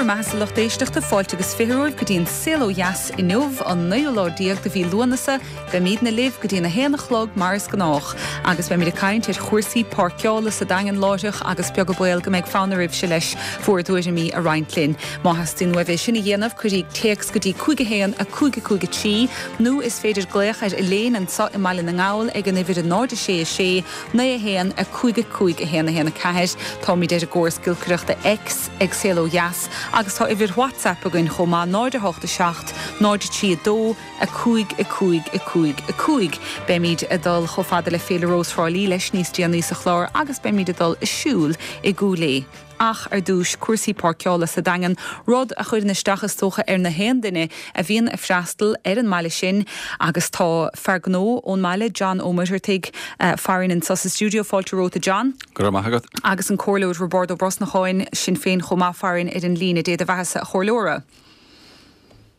mbeatha-sa lucht éisteachta, fáilte agus 20 romhaibh go dtí an Saol Ó Dheas inniu, an naoú lá déag de mhí Lúnasa. Beimídne libh go dtí an 1 a chlog mar is gnách agus beimid ag caint ar chúrsaí páirceála sa Daingean láithreach agus beag an baol go mbeidh fonn oraibhse leis bhur dtuairimí a roinnt linn. Má theastaíonn uaibh é sin a dhéanamh, cuiríg téacs go dtí 5 1 5 5 3 nó is féidir glaoch ar Elaine anseo i mBaile na nGall ag an uimhir 0 6 6 9 1 5 5 1 1 4. Táimid ar an gcóras giolcaireachta X ag Saol Ó Dheas agus tá uimhir WhatsApp againn chomh maith, 0 8 7 0 3 2 5 5 5 5. Beimid ag dul chomh fada le Féile Rós Thrá Lí leis níos déanaí sa chlár agus beimid ag dul ag siúl i gCúil Aodha. Ach ar dtús, cúrsaí páirceála sa Daingean, rud a chuireann isteach is dócha ar na haon duine a bhíonn ag freastal ar an mbaile sin agus tá fear gnó ón mbaile, John Ó Muircheartaigh, farainn anseo sa stiúideo. Fáilte romhat a John. Go raibh maith agat. Agus an Comhairleoir Roibeárd Ó Brosnacháin, Sinn Féin chomh maith, farainn ar an líne. Dé do bheathasa a Chomhairleora.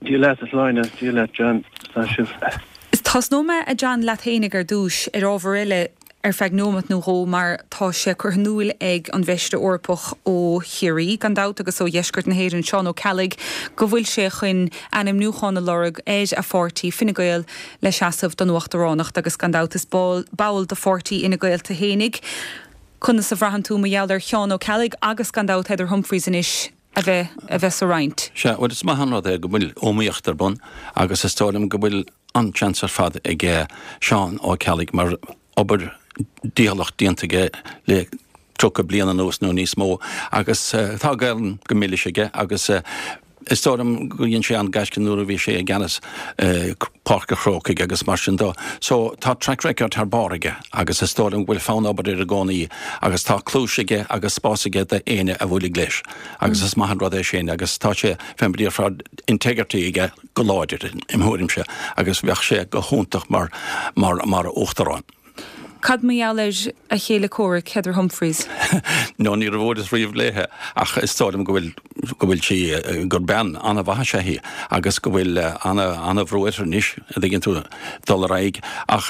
Dia leat a Shláine, Dia leat John, tá sibh. Tosnóidh mé a John leat fhéinig ar dtúis ar ábhar eile ar feadh neomat nó dhó mar tá sé curtha in iúil ag an bhFeisire Eorpach ó Chiarraí, gan dabht, agus ó dheisceart na hÉireann, Seán Ó Ceallaigh, go bhfuil sé chun ainmniúchán a lorg ar a pháirtí, Fine Gael, le seasamh don Uachtaránacht agus gan dabht is ball de pháirtí Fhine Gael tú fhéinig. Conas a bhraitheann tú mar gheall ar Sheán Ó Ceallaigh agus gan dabht Heather Humphreys anois? a bheith a bheith sa roinnt. Sea, bhuel is maith an rud é go bhfuil iomaíocht ar bun agus is dóigh liom go bhfuil an-seans ar fad ag Seán Ó Ceallaigh mar obair dícheallach déanta aige le 30 bliain anuas nó níos mó agus tá Gaelainn go milis aige agus is dóigh liom gur dhein sé an-gaisce nuair a bhí sé i gceannas Páirc an Chrócaigh agus mar sin dó. So tá track record thar barr aige agus is dóigh liom go bhfuil fonn obair air i gcónaí agus tá cluais aige agus spás aige d'éinne a bhuailfidh leis agus is maith an rud é sin agus tá sé, fé mar a déarfá, integrity aige go láidir im thuairimse agus bheadh sé go hiontach mar, mar, mar uachtarán. Cad mar gheall ar a chéile comhraic, Heather Humphreys? No, níor bhuaileas riamh léithe ach is dóigh liom go bhfuil, go bhfuil sí, gur bean an-mhaith is ea í agus go bhfuil ana-bhrú uirthi anois, a dtuigeann tú, dul ar aghaidh. Ach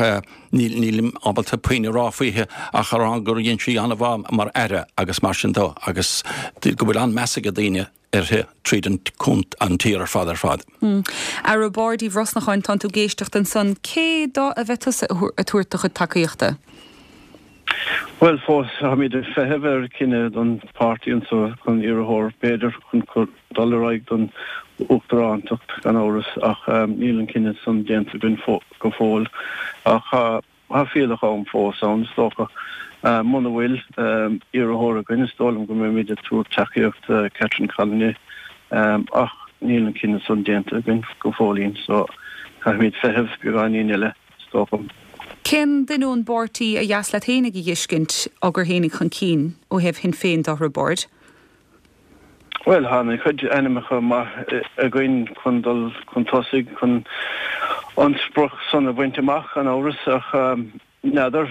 níl, nílim ábalta puinn a rá fúithi ach a rá gur dhein sí an-mhaith mar aire agus mar sin dó agus go bhfuil an-meas ag daoine uirthi tríd an an tír ar fad ar fad. A Roibeaird Uí Bhrosnacháin, tánn tú ag éisteacht ansan. Cé dó a bheidh tusa ag tabhairt do chuid tacaíochta? Bhuel, fós táimid ag feitheamh ar cinneadh don pháirtí anso chun iarrthóir, b'fhéidir, chun dul ar aghaidh don uachtarántacht, gan amhras, ach níl an cinneadh san déanta againn go fóill. Ach tá Tá fuílleach am fós ann, is dócha. Muna bhfuil iarrthóir againn, is dóigh liom go mbeimid ag tabhairt tacaíocht do Catherine Connolly. Ach níl an cinneadh san déanta againn go fóillín, so caithfimid feitheamh beagáinín eile, is dócha. Cén duine ón bpáirtí a dheas leat fhéinig a dh'fheiscint á gcur fhéinig chun cinn ó thaobh Shinn Féin de, a Roibeaird? Bhuel, tá an-chuid ainmneacha maith againn chun dul chun tosaigh chun an sprioc san a bhaint amach, gan amhras, ach n'fheadar,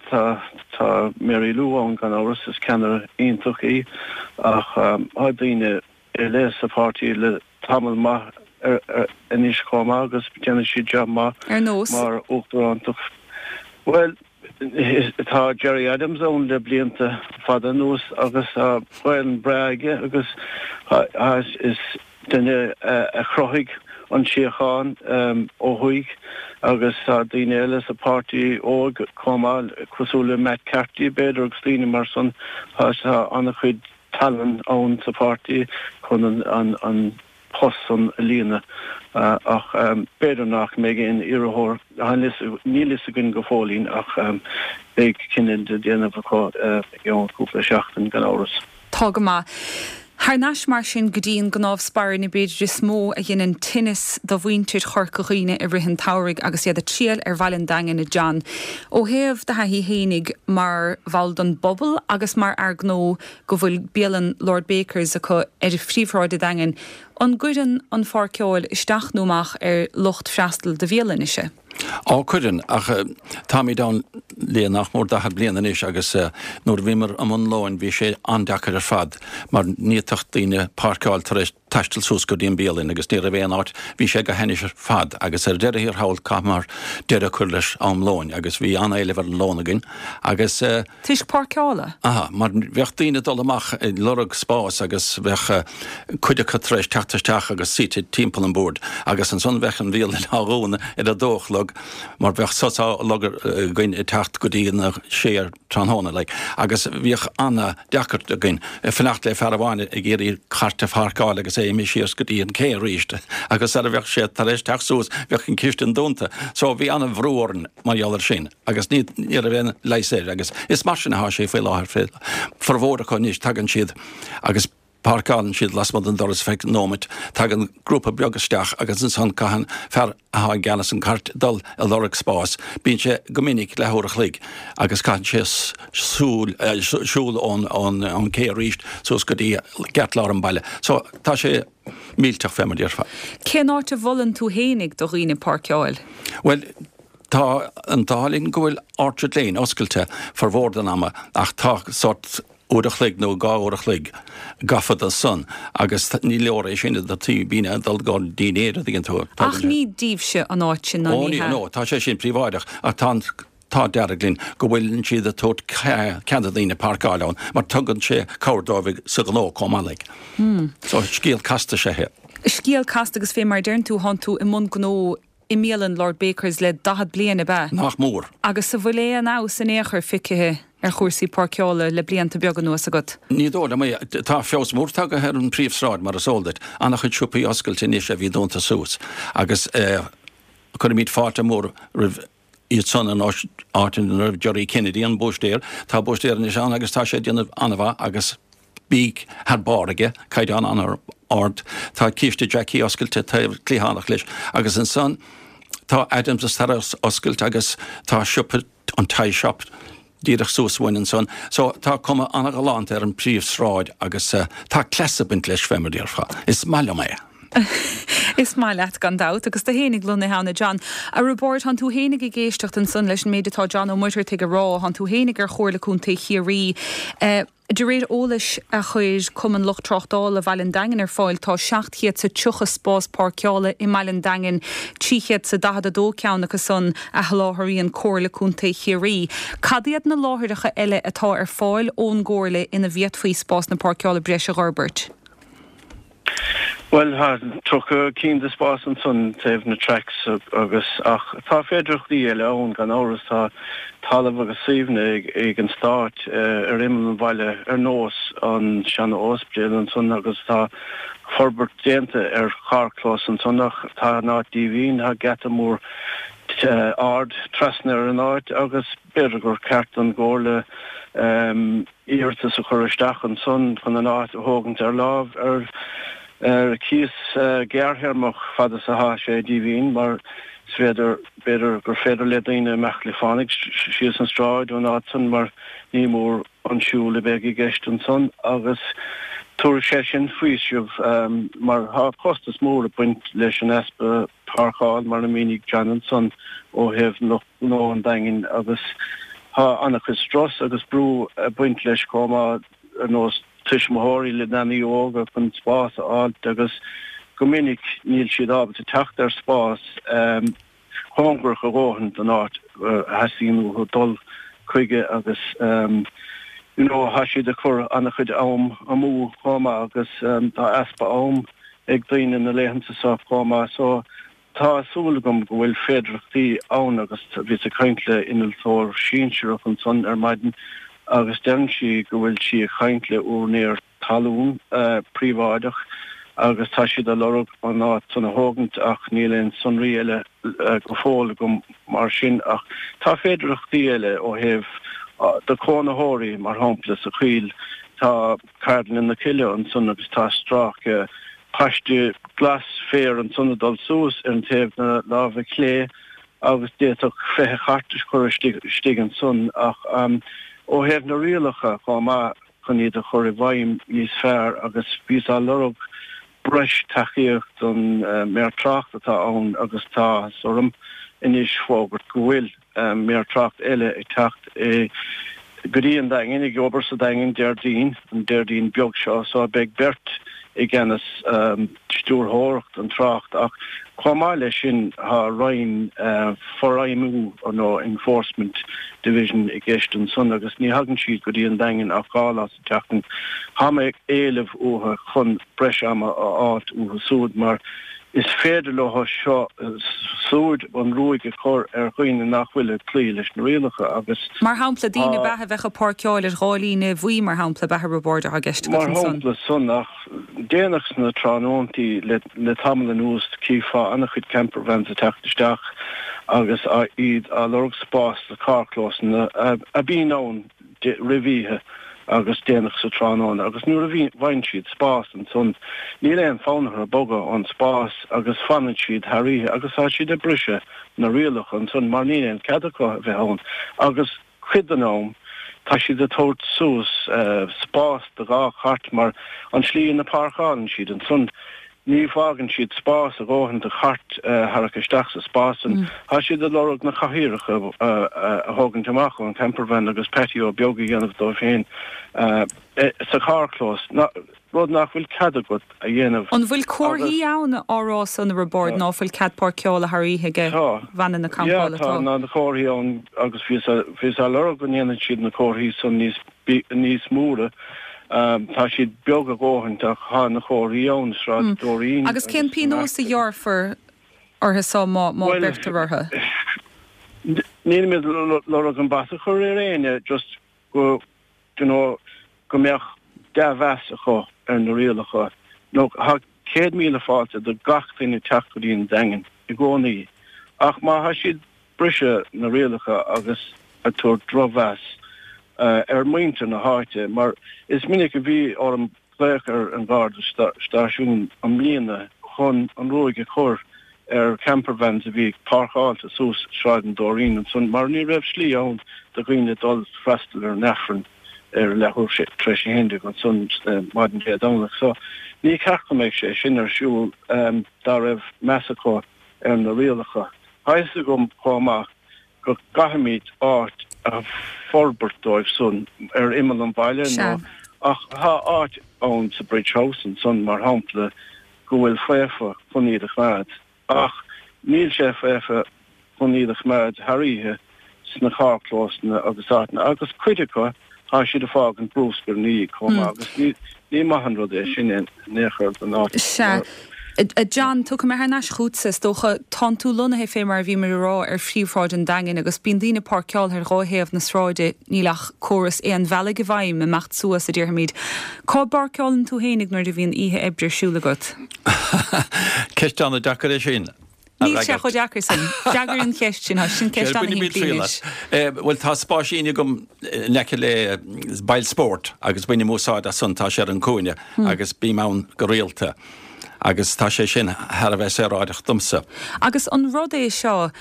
tá tá Mary Lou ann gan amhras, is ceannaire iontach í, ach tá daoine eile sa pháirtí le tamall maith anois chomh maith agus déanfaidh siad jab maith Ar nós? mar uachtarántacht. Bhuel. Tá Gerry Adams ann le blianta fada anuas agus tá Gaelainn breá aige agus is duine a chruthaigh an síocháin ó thuaidh agus tá daoine eile sa páirtí óg chomh maith cosúil le Matt Carthy b'fhéidir agus daoine mar san. Tá an-chuid tallann ann sa pháirtí chun an post san a líonadh ach b'fhéidir nach mbeidh aon iarrthóir, níl fhios againn go fóillín ach beidh cinneadh le déanamh acu i gceann cúpla seachtain gan amhras. Tá go maith. Thar n-ais mar sin go dtí an gcnámh spairne b'fhéidir is mó a dheineann tinneas do mhuintir Chorca Dhuibhne i rith an tsamhraidh agus iad ag triall ar bhaile an Daingin, a John. Ó thaobh do thaithí fhéinig mar bhall den bpobal agus mar fhear gnó go bhfuil bialann Lord Bakers acu ar phríomhshráid an Daingin, an gcuireann an pháirceáil isteach nó amach ar lucht freastail do bhialainnese? Á, cuireann, ach táimid ann le nach mór 40 bliain anois agus nuair a bhíomar i mbun lóin bhí sé an-deacair ar fad mar ní fhéadfadh daoine páirceáil tar éis. taisteal suas go dtí an bialann agus ní raibh aon áit, bhí sé go hainnis ar fad agus ar deireadh thiar thall chaitheamar deireadh a chur leis am lóin agus bhí an-éileamh ar an lón againn agus. Toisc páirceála? Aha, mar bheadh daoine ag dul amach ag lorg spás agus bheadh cuid acu tar éis teacht isteach agus suite timpeall an bhoird agus ansan bheadh an bhialann á dhúnadh ar a dó a chlog mar bheadh sos á lorg againn ag teacht go dtí na sé ar tráthnóna like agus bhíodh an-deacracht againn fanacht le fear amháin ag iarraidh cairt a pháirceáil agus é imithe síos go dtí an cé arís agus sara bheadh sé tar éis teacht suas bheadh an chistin dúnta so bhí an-bhrú orainn mar gheall ar sin agus ní ní raibh aon leigheas air agus is mar sin atá sé faoi láthair formhór acu anois tagann siad agus Páirceálann siad lasmuigh den doras feadh nóimeat, tagann grúpa beag isteach agus ansan caitheann fear athá i gceannas an cairt dul ag lorg spáis. Bíonn sé go minic leathuair a chloig agus caitheann sé súil, siúl ón, ón cé arís suas go dtí gceartlár an baile. So tá sé millteach fé mar déarfá. Cén áit a mholann tú fhéinig do dhaoine páirceáil? Bhuel, tá an t-ádh linn go bhfuil Orchard Lane oscailte formhór den ama ach tá sórt uair a chloig nó 2 uair a chloig gafa do san agus ní leor é sin do daoine ag dul go dinnéar a dtuigeann tú. Ach ní díbhse an áit sin ná ní hea? Ó ní, no, tá sé sin príobháideach ach tá an t-ádh dearg linn go bhfuileann siad ag tabhairt cead do daoine páirceáil ann mar tugann sé cabhair dóibh sa ghnó chomh maith like. So scéal casta is ea é. Scéal casta agus fé mar a deireann tú, thánn tú i mbun gnó i mbialann Lord Baker's le 40 bliain, ab ea? Nach mór. Agus an bhfuil aon fheabhas in aon chor feicthe ar chúrsaí páirceála le blianta beaga anuas agat? Ní dóigh liom é. Tá feabhas mór tagtha ar an bpríomhshráid, mar is eol duit. An-chuid siopaí oscailte anois a bhí dúnta suas agus cuirimid fáilte mhór roimh iad san an áit ina raibh Gerry Kennedy, an búistéir. Tá búistéir anois ann agus tá sé ag déanamh an-mhaith agus bídh thar barr aige, caighdeán an-ard. Tá Císte Jackie oscailte taobh cliathánach leis agus ansan tá Adams tar éis oscailt agus tá siopa an Thai Shop díreach suas uainn ansan. So tá cuma an-ghalánta ar an príomhshráid agus tá cleas ag baint leis fé mar déarfá. Is maith liom é. Is maith leat gan dabht, agus tú fhéinig lonnaithe ann, a John. A Roibeáird, thánn tú fhéinig ag éisteacht ansan leis an méid atá John Ó Muircheartaigh a rá, thánn tú fhéinig ar Chomhairle Contae Chiarraí. De réir eolais a chuir Cumann Lucht Tráchtála Bhaile an Daingin ar fáil, tá 730 spás páirceála i mBaile an Daingin, 342 ceann acu san a sholáthraíonn Comhairle Contae Chiarraí. Cad iad na láithreacha eile atá ar fáil ón gComhairle ina bhféadfaí spásanna páirceála breise a dh'fhorbairt? Bhuel, tá 30 cinn de spás ansan taobh na tracks agus, ach tá féidearthachtaí eile ann gan amhras. Tá talamh agus suíomhanna ag an Stát ar imeall an bhaile ar nós an seana-óispidéal ansan agus tá forbairt déanta ar charrchlós ansan ach tá an áit díomhaoin, tá geata mór ard trasna ar an áit agus b'fhéidir gur ceart don gComhairle iarratas a chur isteach ansan chun an áit a thógaint ar láimh ar ar cíos gearrthéarmach fad is atá sé díomhaoin mar is féidir, b'fhéidir gur féidir le daoine imeacht le fánaidh síos an stráid ón áit san mar ní mór an siúl a bheidh i gceist ansan agus tabharfaidh sé sin faoiseamh mar tá costas mór ag baint leis an easpa páirceáil mar a mhínigh John ansan ó thaobh lucht gnó an Daingin agus tá an-chuid strus agus brú ag baint leis chomh maith ar nós tuismitheoirí le leanaí óga chun spás a fháilt agus go minic níl siad ábalta teacht ar spás cóngarach a dhóthain don áit a theastaíonn uathu dul chuige agus you know tá siad ag cur an-chuid am amú chomh maith agus tá easpa am ag daoine na laethanta seo chomh maith so Tá súil agam go bhfuil féidearthachtaí ann agus bhíos ag caint le innealtóir sinsearach ansan ar maidin agus deireann sí go bhfuil sí ag caint le úinéir talún príobháideach agus tá siad ag lorg an áit san a thógaint ach níl aon sonraí eile go fóill agam mar sin ach tá féidearthachtaí eile ó thaobh do cónaitheoirí mar shampla sa Choill tá Ceardlann na Cille ansan agus tá stráice paiste glas féir ansan ag dul suas ar an taobh na láimhe clé agus d'fhéadfadh 20 chairt a chur istigh ansan ach ó thaobh na rialacha chomh maith chun iad a chur i bhfeidhm níos fearr agus bhíos á lorg breis tacaíocht don Méar Tráchta atá ann agus tá áthas orm anois fógairt go bhfuil. Méar Tráchta eile ag teacht go dtí an Daingean, ag obair sa Daingean Déardaoin, an Déardaoin beag seo, so beidh beirt i gceannas stiúrthóireacht an trácht ach chomh maith leis sin tá roinn forfheidhmiú nó enforcement division i gceist ansan agus ní thagann siad go dtí an Daingean ach 2 lá sa tseachtain. Tá mé ag éileamh uathu chun breis ama a fháilt uathu súd mar is féidir leo seo súd an ruaig a chur ar dhaoine nach bhfuil ag cloí leis na rialacha agus Mar shampla, daoine ab ea a bheadh ag páirceáil ar dhá líne bhuí, mar shampla, ab ea, a Roibeaird atá i gceist agat Mar ansan? shampla san ach déanach sna tráthnóntaí le tamall anuas cífeá an-chuid campervans ag teacht isteach agus iad á lorg spás sna carrchlósanna a bhíonn ann roimh oíche agus déanach sa tráthnóna agus nuair a bhfaigheann siad spás ansan níl aon fonn orthu bogadh ón spás agus fanann siad thar oíche agus tá siad ag briseadh na rialacha ansan mar níl aon cead acu a bheith ann agus cuid den am tá siad ag tabhairt suas spás do dhá chairt mar an tslí ina páirceálann siad ansan Ní fhágann siad spás a dhóthain do chairt tharrac isteach sa spás san. Tá siad ag lorg na cathaoireacha a thógaint amach ón campervan agus patio beag a dhéanamh dóibh féin sa charrchlós, rud nach bhfuil cead agat a dhéanamh. An bhfuil comharthaí ann á rá san, a Roibeaird, ná fuil cead páirceála thar oíche ag veaineanna campála? Tá. Tá na comharthaí ann agus bhíos á lorg go ndéanfaidh siad na comharthaí san níos níos móra. Tá siad beag a dhóthain ach tá na comharthaí ann, Sráid Dóirín Agus cén pionós a ghearrfar orthu so má beirtear orthu? Nílimid ag lorg an bata a chur ar éinne, just go, you know, go mbeadh dea-mheas acu ar na rialacha. Nó tá 100,000 fáilte do gach duine teacht go dtí an Daingean i gcónaí ach má tá siad briseadh na rialacha agus ag tabhairt drochmheas ar mhuintir na háite mar is minic a bhí orm glaoch ar an gharda stáisiún i mbliana chun an ruaig a chur ar campervans a bhí páirceáilte suas Sráid an Dóirín ansan mar ní raibh slí ann do dhaoine dul freastal ar an Aifreann ar leathuair tar éis a 11 ansan maidin Dé Domhnaigh. So ní ceart go mbeadh sé sin ar siúl dá raibh meas acu ar na rialacha. Tá fhios agam chomh maith go gcaithfimid áit a forbairt dóibh san ar imeall an bhaile nó ach tá áit ann sa Bridge House ansan mar shampla go bhfuil faofa chun iad a choimeád ach níl sé faofa chun iad a choimeád thar oíche sna carrchlósanna agus áiteanna agus cuid acu tá siad ag fágaint brúscar ina dhiaidh chomh maith agus ní maith an rud é sin in aon chor don áit. Sea. A John, tiocfaidh mé thar n-ais chugatsa, is dócha. Tánn tú lonnaithe, fé mar a bhíomar ag rá, ar phríomhshráid an Daingin agus bíonn daoine páirceáilte ar dhá thaobh na sráide, níl ach córas aon bhealaigh i bhfeidhm, imeacht suas, a déarfaimid. Cá bpáirceálann tú fhéinig nuair a bhíonn oíche oibre ar siúl agat? Ceist an-deacair é sin. Níl sé chomh deacair sin. Freagair an cheist sin, tá sin ceist an-shimplí anois. Bhuel tá spáisín agam in aice le bail spóirt agus bainim úsáid as san, tá sé ar an cúinne agus bím ann go rialta agus tá sé sin thar a bheith saoráideach domsa. Agus an rud é seo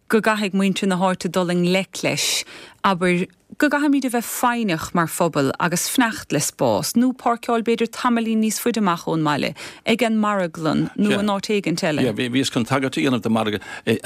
go gcaithfidh muintir na háite dul i ngleic leis, abair, go gcaithfimid a bheith foighneach mar phobal agus fanacht le spás, nó páirceáil b'fhéidir tamaillín níos faide amach ón mbaile, ag an marglann nó in áit éigint eile. Yeah, bhíos chun tagairt a dhéanamh do margadh,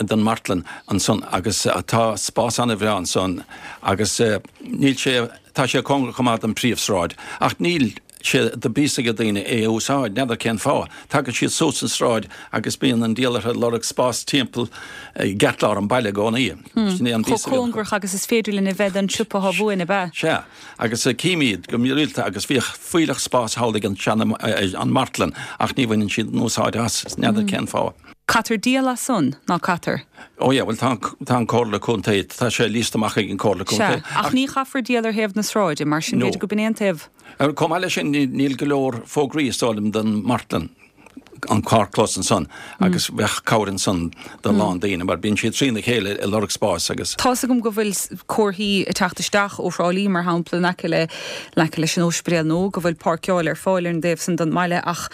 don mhartlann ansan agus tá spás an-bhreá ansan agus níl sé, tá sé cóngarach chomh maith don phríomhsráid ach níl sé de bíos ag daoine é a úsáid, n'fheadar cén fáth. Tagann siad suas an sráid agus bíonn an diabhal orthu ag lorg spás timpeall i gceartlár an bhaile i gcónaí. Sin é an bíos Chomh cóngarach agus is féidir linn a bheith don siopa atá uainn, ab ea? Sea, agus cím iad go rialta agus bhíodh fuílleach spáis thall ag an seana, an martlann ach ní bhaineann siad an úsáid as, n'fheadar cén fáth. Caitear díol as san, ná caitear? Ó yeah, bhuel tá tá an Comhairle Contae, tá sé líosta amach ag an Comhairle Contae. Sea, ach ní chaithfear díol ar thaobh na sráide, mar sin b'fhéidir go b'in é an taobh. Chomh maith leis sin, níl go leor fógraí, is dóigh liom, don martlann, an carrchlós ansan, agus bheadh cabhair ansan do a lán daoine, mar bíonn siad trína chéile ag lorg spáis agus. Tá's agam go bhfuil comharthaí ag teacht isteach ó Thrá Lí, mar shampla, in aice le, in aice leis an óispidéal nó go bhfuil páirceáil ar fáil ar an dtaobh san den mbaile ach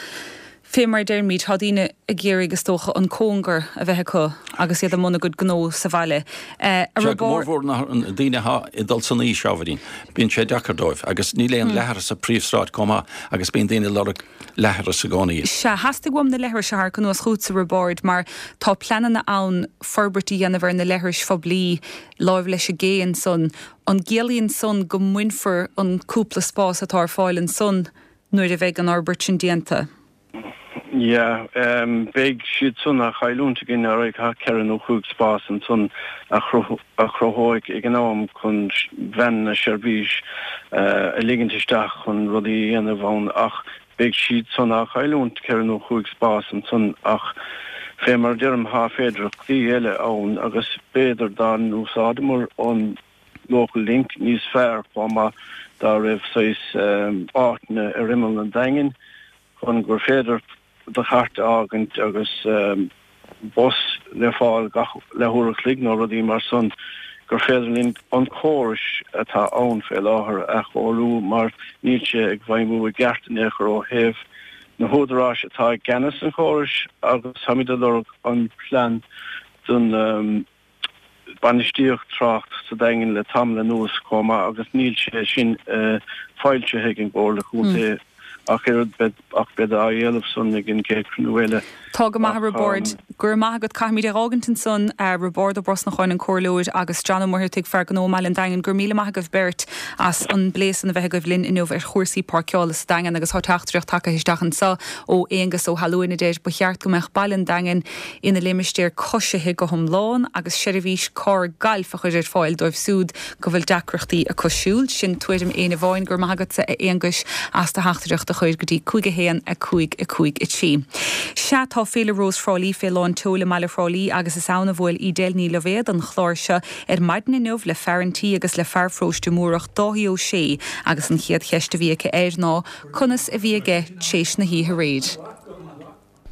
fé mar a deirimid, tá daoine ag iarraidh, is dócha, an cóngar a bheith acu agus iad i mbun a gcuid gnó sa bhaile. A Sea, go mórmhór na daoine atá ag dul san aois, ábhairín, bíonn sé deacair dóibh agus níl aon leithreas sa phríomhshráid chomh maith agus bíonn daoine ag lorg leithreas i gcónaí. Sea, theastaigh uaim na leithris a tharrac anuas chugatsa, a Roibeaird, mar tá pleananna ann forbairt a dhéanamh ar na leithris phoiblí láimh leis an gcé ansan. An gciallaíonn san go mbainfear an cúpla spás atá ar fáil ansan nuair a bheidh an fhorbairt sin déanta? Yeah, beidh siad san á chailliúint againn alright, tá ceithre nó chúig spás ansan a chruthóidh ag an am chun veaineanna seirbhís a ligint isteach chun rudaí a dhéanamh ann ach beidh siad san á chailliúint, ceithre nó chúig spás ansan ach fé mar a deirim tá féidearthachtaí eile ann agus b'fhéidir dá n-úsáideamar an Local Link níos fearr chomh maith dá raibh saghas áiteanna ar imeall an Daingin chun gur féidir do chairt a fhágaint agus bus le fáil gach leathuair a chloig nó rudaí mar san gur féidir linn an córais atá ann fé láthair a athchóiriú mar níl sé ag feidhmiú i gceart in aon chor ó thaobh na húdaráis atá i gceannas an chórais agus táimid ag lorg an plean don bainistíocht trácht sa Daingean le tamall anuas chomh maith agus níl sé sin foilsithe ag an gComhairle Chontae ach oiread ach beidh á éileamh san ag an gcéad chruinniú eile. Tá go maith a Roibeaird. Go raibh maith agat. Caithfimid é dh'fhágaint ansan. Roibeárd Ó Brosnacháin, an Comhairleoir, agus John Ó Muircheartaigh, fear gnó i mBaile an Daingin. Go raibh míle maith agaibh beirt as an bplé san a bheith agaibh linn inniu ar chúrsaí páirceála sa Daingean agus tá teachtaireacht tagtha isteach anso ó Aonghus Ó hAlúin a deir, Ba cheart go mbeadh Baile an Daingin ina limistéar coisithe go hiomlán agus seirbhís carr gailf a chur ar fáil dóibh siúd go bhfuil deacrachtaí acu siúl. Sin tuairim éinne amháin. Go raibh maith agatsa a Aonghuis as do theachtaireacht a chur go dtí 5 1 5 5 3. Sea, tá Féile Rós Thrá Lí fé lán tseoil i mbaile Thrá Lí agus is ann a bhuail Edel Ní Loibhéad an chlár seo ar maidin inniu le fear an tí agus le fear pharóiste Múrach, Dáithí Ó Sé agus an chéad cheist a bhí aici air ná conas a bhí aige tréis na hoíche aréir.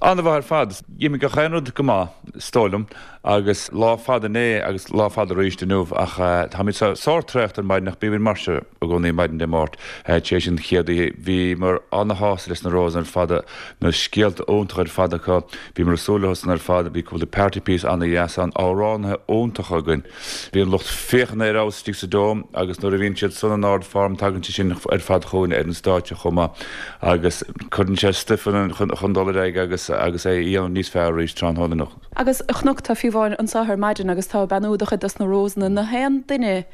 An-mhaith ar fad. D'imigh gach aon rud go maith, is dóigh liom, agus lá fada inné agus lá fada arís inniu ach táimid sórt traochta ar maidin ach bímid mar seo i gcónaí maidin Dé Máirt tar éis an chéad oíche. Bhíomar ana-shásta leis na Roses ar fad, na scéalta iontacha ar fad acu, bhíomar ag súil leo san ar fad, bhí cúpla party piece ana-dheas ann, amhránaithe iontacha againn. Bhí an lucht féachana ar fheabhas istigh sa Dome agus nuair a bhíonn siad san in ard-form tagann sé sin ar fad chugainn ar an stáitse chomh maith agus cuireann sé stuif ionainn chun dul ar aghaidh agus agus é a dhéanamh níos fearr arís tráthnóna inniu. Agus chonac tú fiú amháin anseo ar maidin agus tá ag beannú do chuid dos na Rosanna, na haon duine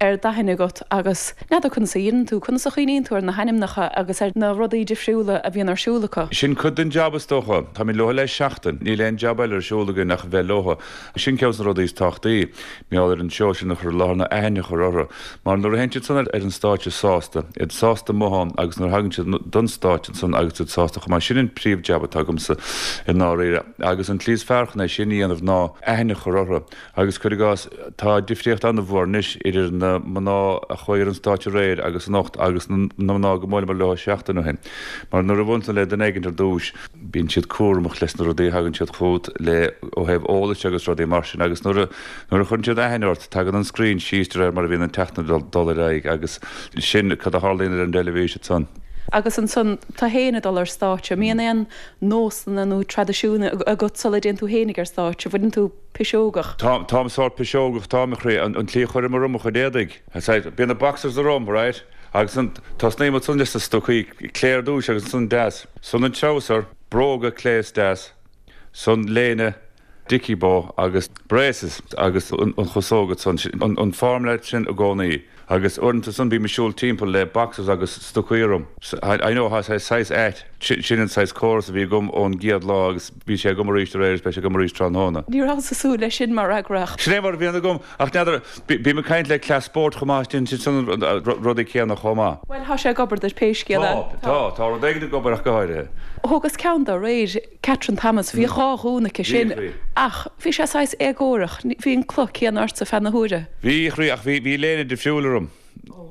ar d'aithne agat agus n'fheadar conas a dhéanann tú, conas a chuimhníonn tú ar na hainmneacha agus ar na rudaí difriúla a bhíonn ar siúl acu? Sin cuid den jab is dócha. Táimid leo le seachtain. Níl aon jab eile ar siúl againn ach a bheith leo. Sin ceann de na rudaí is tábhachtaí, mar gheall ar an seó sin a chur i láthair ná aithne a chur orthu. Mar nuair a théann siad san ar an stáitse sásta, iad sásta amuigh ann agus nuair a thagann siad don stáitse ansan agus iad sásta chomh maith, sin an príomh jab atá agamsa i ndáiríre. Agus an tslí is fearr chun é sin a dhéanamh ná aithne a chur orthu. Agus cuir i gcás, tá difríocht an-mhór anois idir na mná a chuaigh ar an stáitse aréir agus anocht agus na mná go mbuaileamar leo seachtain ó shin. Mar nuair a bhuaileann tú le duine éigin ar dtús, bíonn siad cúramach leis na rudaí a thagann siad chugat le ó thaobh eolais agus rudaí mar sin agus nuair a nuair a chuireann siad aithne ort tagann an scrín síos de réir mar a bhíonn an tseachtain ag dul ar aghaidh agus sin cad a tharlaíonn ar an dteilifís ansan. Agus ansan tú fhéin ag dul ar stáitse, an mbíonn aon nósanna nó traidisiúin agat sula dtéann tú fhéinig ar stáitse, bhfuileann tú piseogach? Tá, táim sórt piseogach, táim a chroí, an tslí a chuirim orm mo chuid éadaigh, bíonn na boxers orm, right? Agus an, tosnaím ansan leis na stocaí, clé ar dtúis agus ansan deas. San an treabhsar, bróga clé is deas, san léine, dicky bow agus braces agus an chasóg ansan, an formula sin i gcónaí. Agus uaireanta san bím ag siúl timpeall le boxers agus stocaí orm. I know, tá sé saghas ait. Sin an saghas córas a bhí agam ón gcéad lá agus bhí sé agam arís aréir agus beidh sé agam arís tráthnóna. Ní rabhas ag súil leis sin mar fhreagra ach. Sin é mar a bhíonn agam. Ach n'fheadar, bím ag caint le cleas spóirt chomh maith, déanann siad san rudaí céanna chomh maith. Bhuel, tá sé ag obair duit pé scéal é. Tá, tá, tá rud éigin ag obair ach go háirithe. Thógas ceann de aréir, Catherine Thomas, bhí dhá ghúna aici sin ach bhí sé saghas éagórach, bhí an cloch céanna ortsa feadh na huaire. Bhí, a chroí, ach bhí, bhí léine difriúil orm.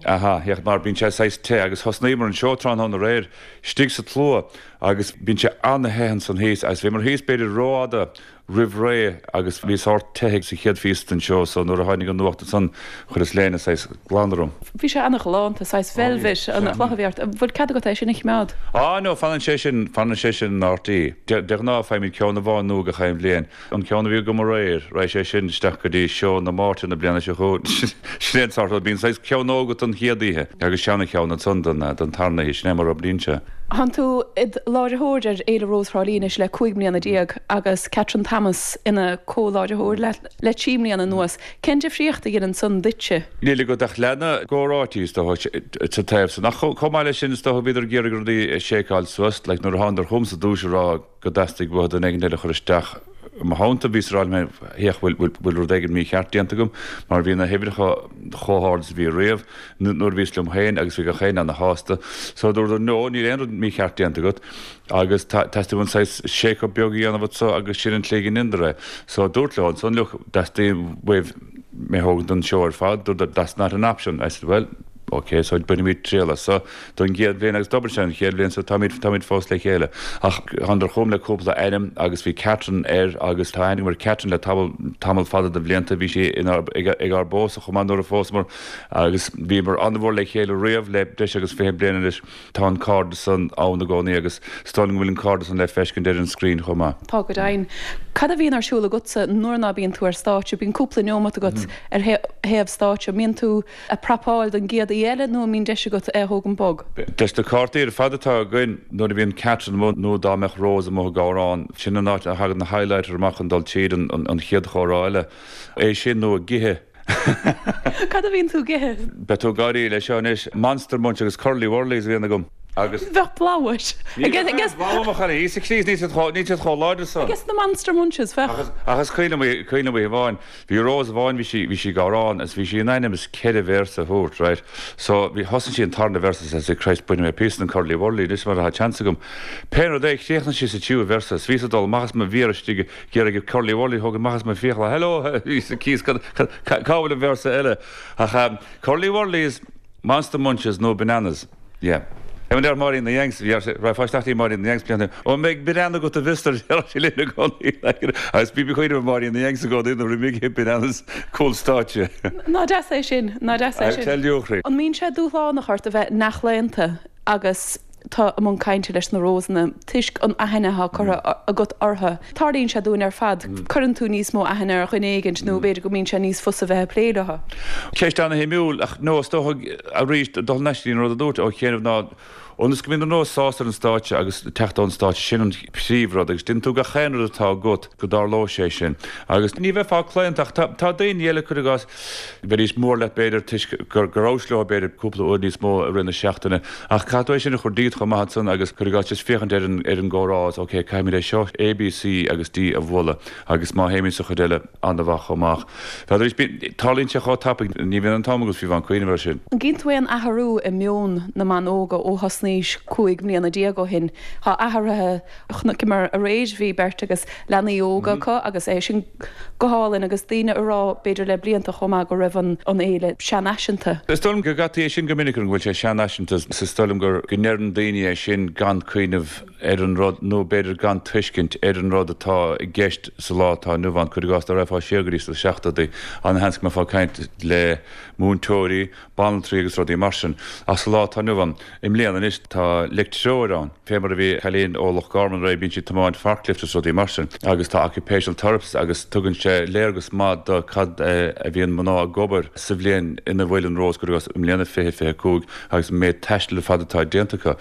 Aha, féach mar bíonn sé saghas te agus thosnaíomar an seó tráthnóna aréir istigh sa tslua agus bíonn sé an-the ansan thíos agus bhíomar thíos b'fhéidir rófhada roimh ré agus bhí sórt te sa chéad phíosa den seó so nuair a tháinig an nuacht ansan chuireas léine saghas glan orm. Bhí sé ana-ghalánta, saghas velvet an chloch a bhí ort. An bhfuil cead agat é sin a choimeád? Á no, fanann sé sin, fanann sé sin in RTÉ. De ghnáth faighimid ceann amháin nua gach aon bhliain. An ceann a bhí agam aréir, raghaidh sé sin isteach go dtí seó na Máirte na bliana seo chugainn. Sin é an sórt rud, bíonn saghas ceann nua agat don chéad oíche agus seana cheann ansan don tarna oíche, sin é mar a oibríonn sé. Tánn tú id láithreoir ar Fhéile Rós Thrá Lí anois le 15 mbliana agus Catherine Thomas ina comh-láithreoir leat le 3 mbliana anuas. Cén difríocht a dheineann san duitse? Níl agat ach leath na gcomhráití is dócha sa taobh san. Ach chomh maith leis sin is dócha bhíodar ag iarraidh rudaí a sheiceáil suas. Like nuair a thánadar chugamsa i dtús a rá go dteastaigh uathu duine éigin eile a chur isteach i mo theannta, bhíos ag rá liom féin, féach, bhfuil rud éigin mícheart déanta agam mar bhí na huimhreacha chomh hard is a bhí riamh nuair a bhíos liom féin agus bhí gach éinne ana-shásta. So dúradar no, níl aon rud mícheart déanta agat agus teastaíonn uainn saghas shake up beag a dhéanamh anso agus sin an tslí go ndeineadar é. So dúrt leo ansan, look, dteastaíonn uaibh mé a thógaint don seó ar fad, dúradar that's not an option. I said well, Ok, so bainfimid triail as so don gcéad bhliain agus d'oibrigh sé an chéad bhliain so táimid, táimid fós le chéile. Ach thánadar chugam le cúpla ainm agus bhí Catherine air agus tá aithne agam ar Catherine le tamall, tamall fada de bhlianta, bhí sí inár, ag, ag ár bpósadh chomh maith nuair a phósamar agus bhíomar an-mhór le chéile riamh le breis agus 20 bliain anois. Tá an cairdeas san ann i gcónaí agus is dóigh liom go bhfuil an cairdeas san le feiscint ar an screen chomh maith. Tá go deimhin. Cad a bhíonn ar siúl agatsa nuair ná bíonn tú ar stáitse? Bíonn cúpla neomat agat ar thaobh stáitse. An mbíonn tú ag prapáil don gcéad oíche eile nó an mbíonn deis agat é a thógaint bog? Leis na cártaí ar fad atá againn, nuair a bhíonn Catherine amuigh nó dá mbeadh Rose amuigh ag amhrán, sin an áit a thagann na highlighter amach chun dul tríd an chéad chomhrá eile. É sin nó ag ithe. Cad a bhíonn tú ag ithe? Beidh tú ag gáirí leis seo anois. Monster Munch agus Curly Wurlies a bhíonn agam. Agus. Bheadh bladhm uait. Ní bheadh aon bhladhm mo chailín. Íosa Críost, níl siad chomh, níl siad chomh láidir san. Ages na Monster Munches, bheadh. Ach is cuimhin liom, cuimhin liom oíche amháin, Bhí Rose amháin, bhí sí, bhí sí ag amhrán agus bhí sí in ainm is ceithre véarsa a thabhairt, right. So, bhí, thosaigh sí an tarna véarsa is I said, Christ, bainfidh mé píosa den Curly Wurly anois mar atá chance agam. Pé rud é, chríochnaigh sí sa tríú véarsa is bhíos ag dul amach as mo mhéar istigh ag iarraidh Curly Wurly a thógaint amach as mo fiacla, hello, Íosa Críost, cad, cad, cá bhfuil an véarsa eile? Ach, um, Curly Wurlies, Monster Munches nó Bananas. Yeah. Mar a deir Máirín na Yanks, bhí sé, raibh fáisteach í Máirín na Yanks blianta, Ó an mbeidh banana agat a Mhister, deir sí linn i gcónaí. Agus bhí cuimhne ar Máirín na Yanks i gcónaí nuair a bhí ag ithe bananas cúl stáitse. Ná deas é sin, ná deas é sin. I tell you, a chroí. An mbíonn sé dúshlánach ort a bheith neamhchlaonta agus tú i mbun cainte leis na Rósanna toisc an aithne atá curtha agat orthu? Tarlaíonn sé dúinn ar fad, cuireann tú níos mó aithne ar dhuine éigint nó b'fhéidir go mbíonn sé níos fusa bheith ag plé leo. Ceist ana-shuimiúil, ach no, is dócha, arís, dul thar n-ais go dtí an rud a dúirt ó chianaibh ná, ionas go mbíonn an Rós sásta ar an stáitse agus teacht ón stáitse, sin an príomhrud agus déanann tú gach aon rud atá agat go dtarlóidh sé sin. Agus ní bheifeá claonta ach tá, tá daoine eile, cuir i gcás, bheidís mór leat b'fhéidir toisc go rabhais leo b'fhéidir cúpla uair níos mó i rith na seachtaine ach caithfidh tú é sin a chur díot chomh maith ansan agus cuir i gcás just féachaint ar an, ar an gcomhrá is ok caithfimid é seo A, B, C agus D a bhualadh agus má théimid sa chuid eile an-mhaith chomh maith. B'fhéidir arís bíonn, tarlaíonn sé chomh tapaidh, ní bhíonn an t-am agat fiú amháin cuimhneamh air sin. An gcíonn tú aon athrú i meon na mban óga ó thosnaís 15 mbliana ó shin? Tá athruithe, chonaiceamar aréir, bhí beirt agus leanaí óga acu agus é sin go hálainn agus daoine ag rá b'fhéidir le blianta chomh maith go raibh an fhéile seanfhaiseanta. Is dóigh liom go gcaití é sin go minic go bhfuil sé seanfhaiseanta is dóigh liom go ndeireann daoine é sin gan cuimhneamh ar an rud nó b'fhéidir gan tuiscint ar an rud atá i gceist sa lá atá inniu ann. Cuir i gcás, dá raghfá siar go dtí sna seachtóidí, an-sheans go mbeifeá ag caint le múinteoirí, banaltraí agus rudaí mar sin. Ach sa lá atá inniu ann, i mbliana anois, tá leictreoir ann. Fé mar a bhí cailín ó Loch Garman aréir, bíonn sí ag tiomáint forklift agus rudaí mar sin. Agus tá occupational therapist agus tugann sé léargas maith do cad a bhíonn mná ag obair sa bhliain ina bhfuil an Rós, cuir i gcás, i mbliana 2025 agus an méid taistil ar fad atá déanta acu.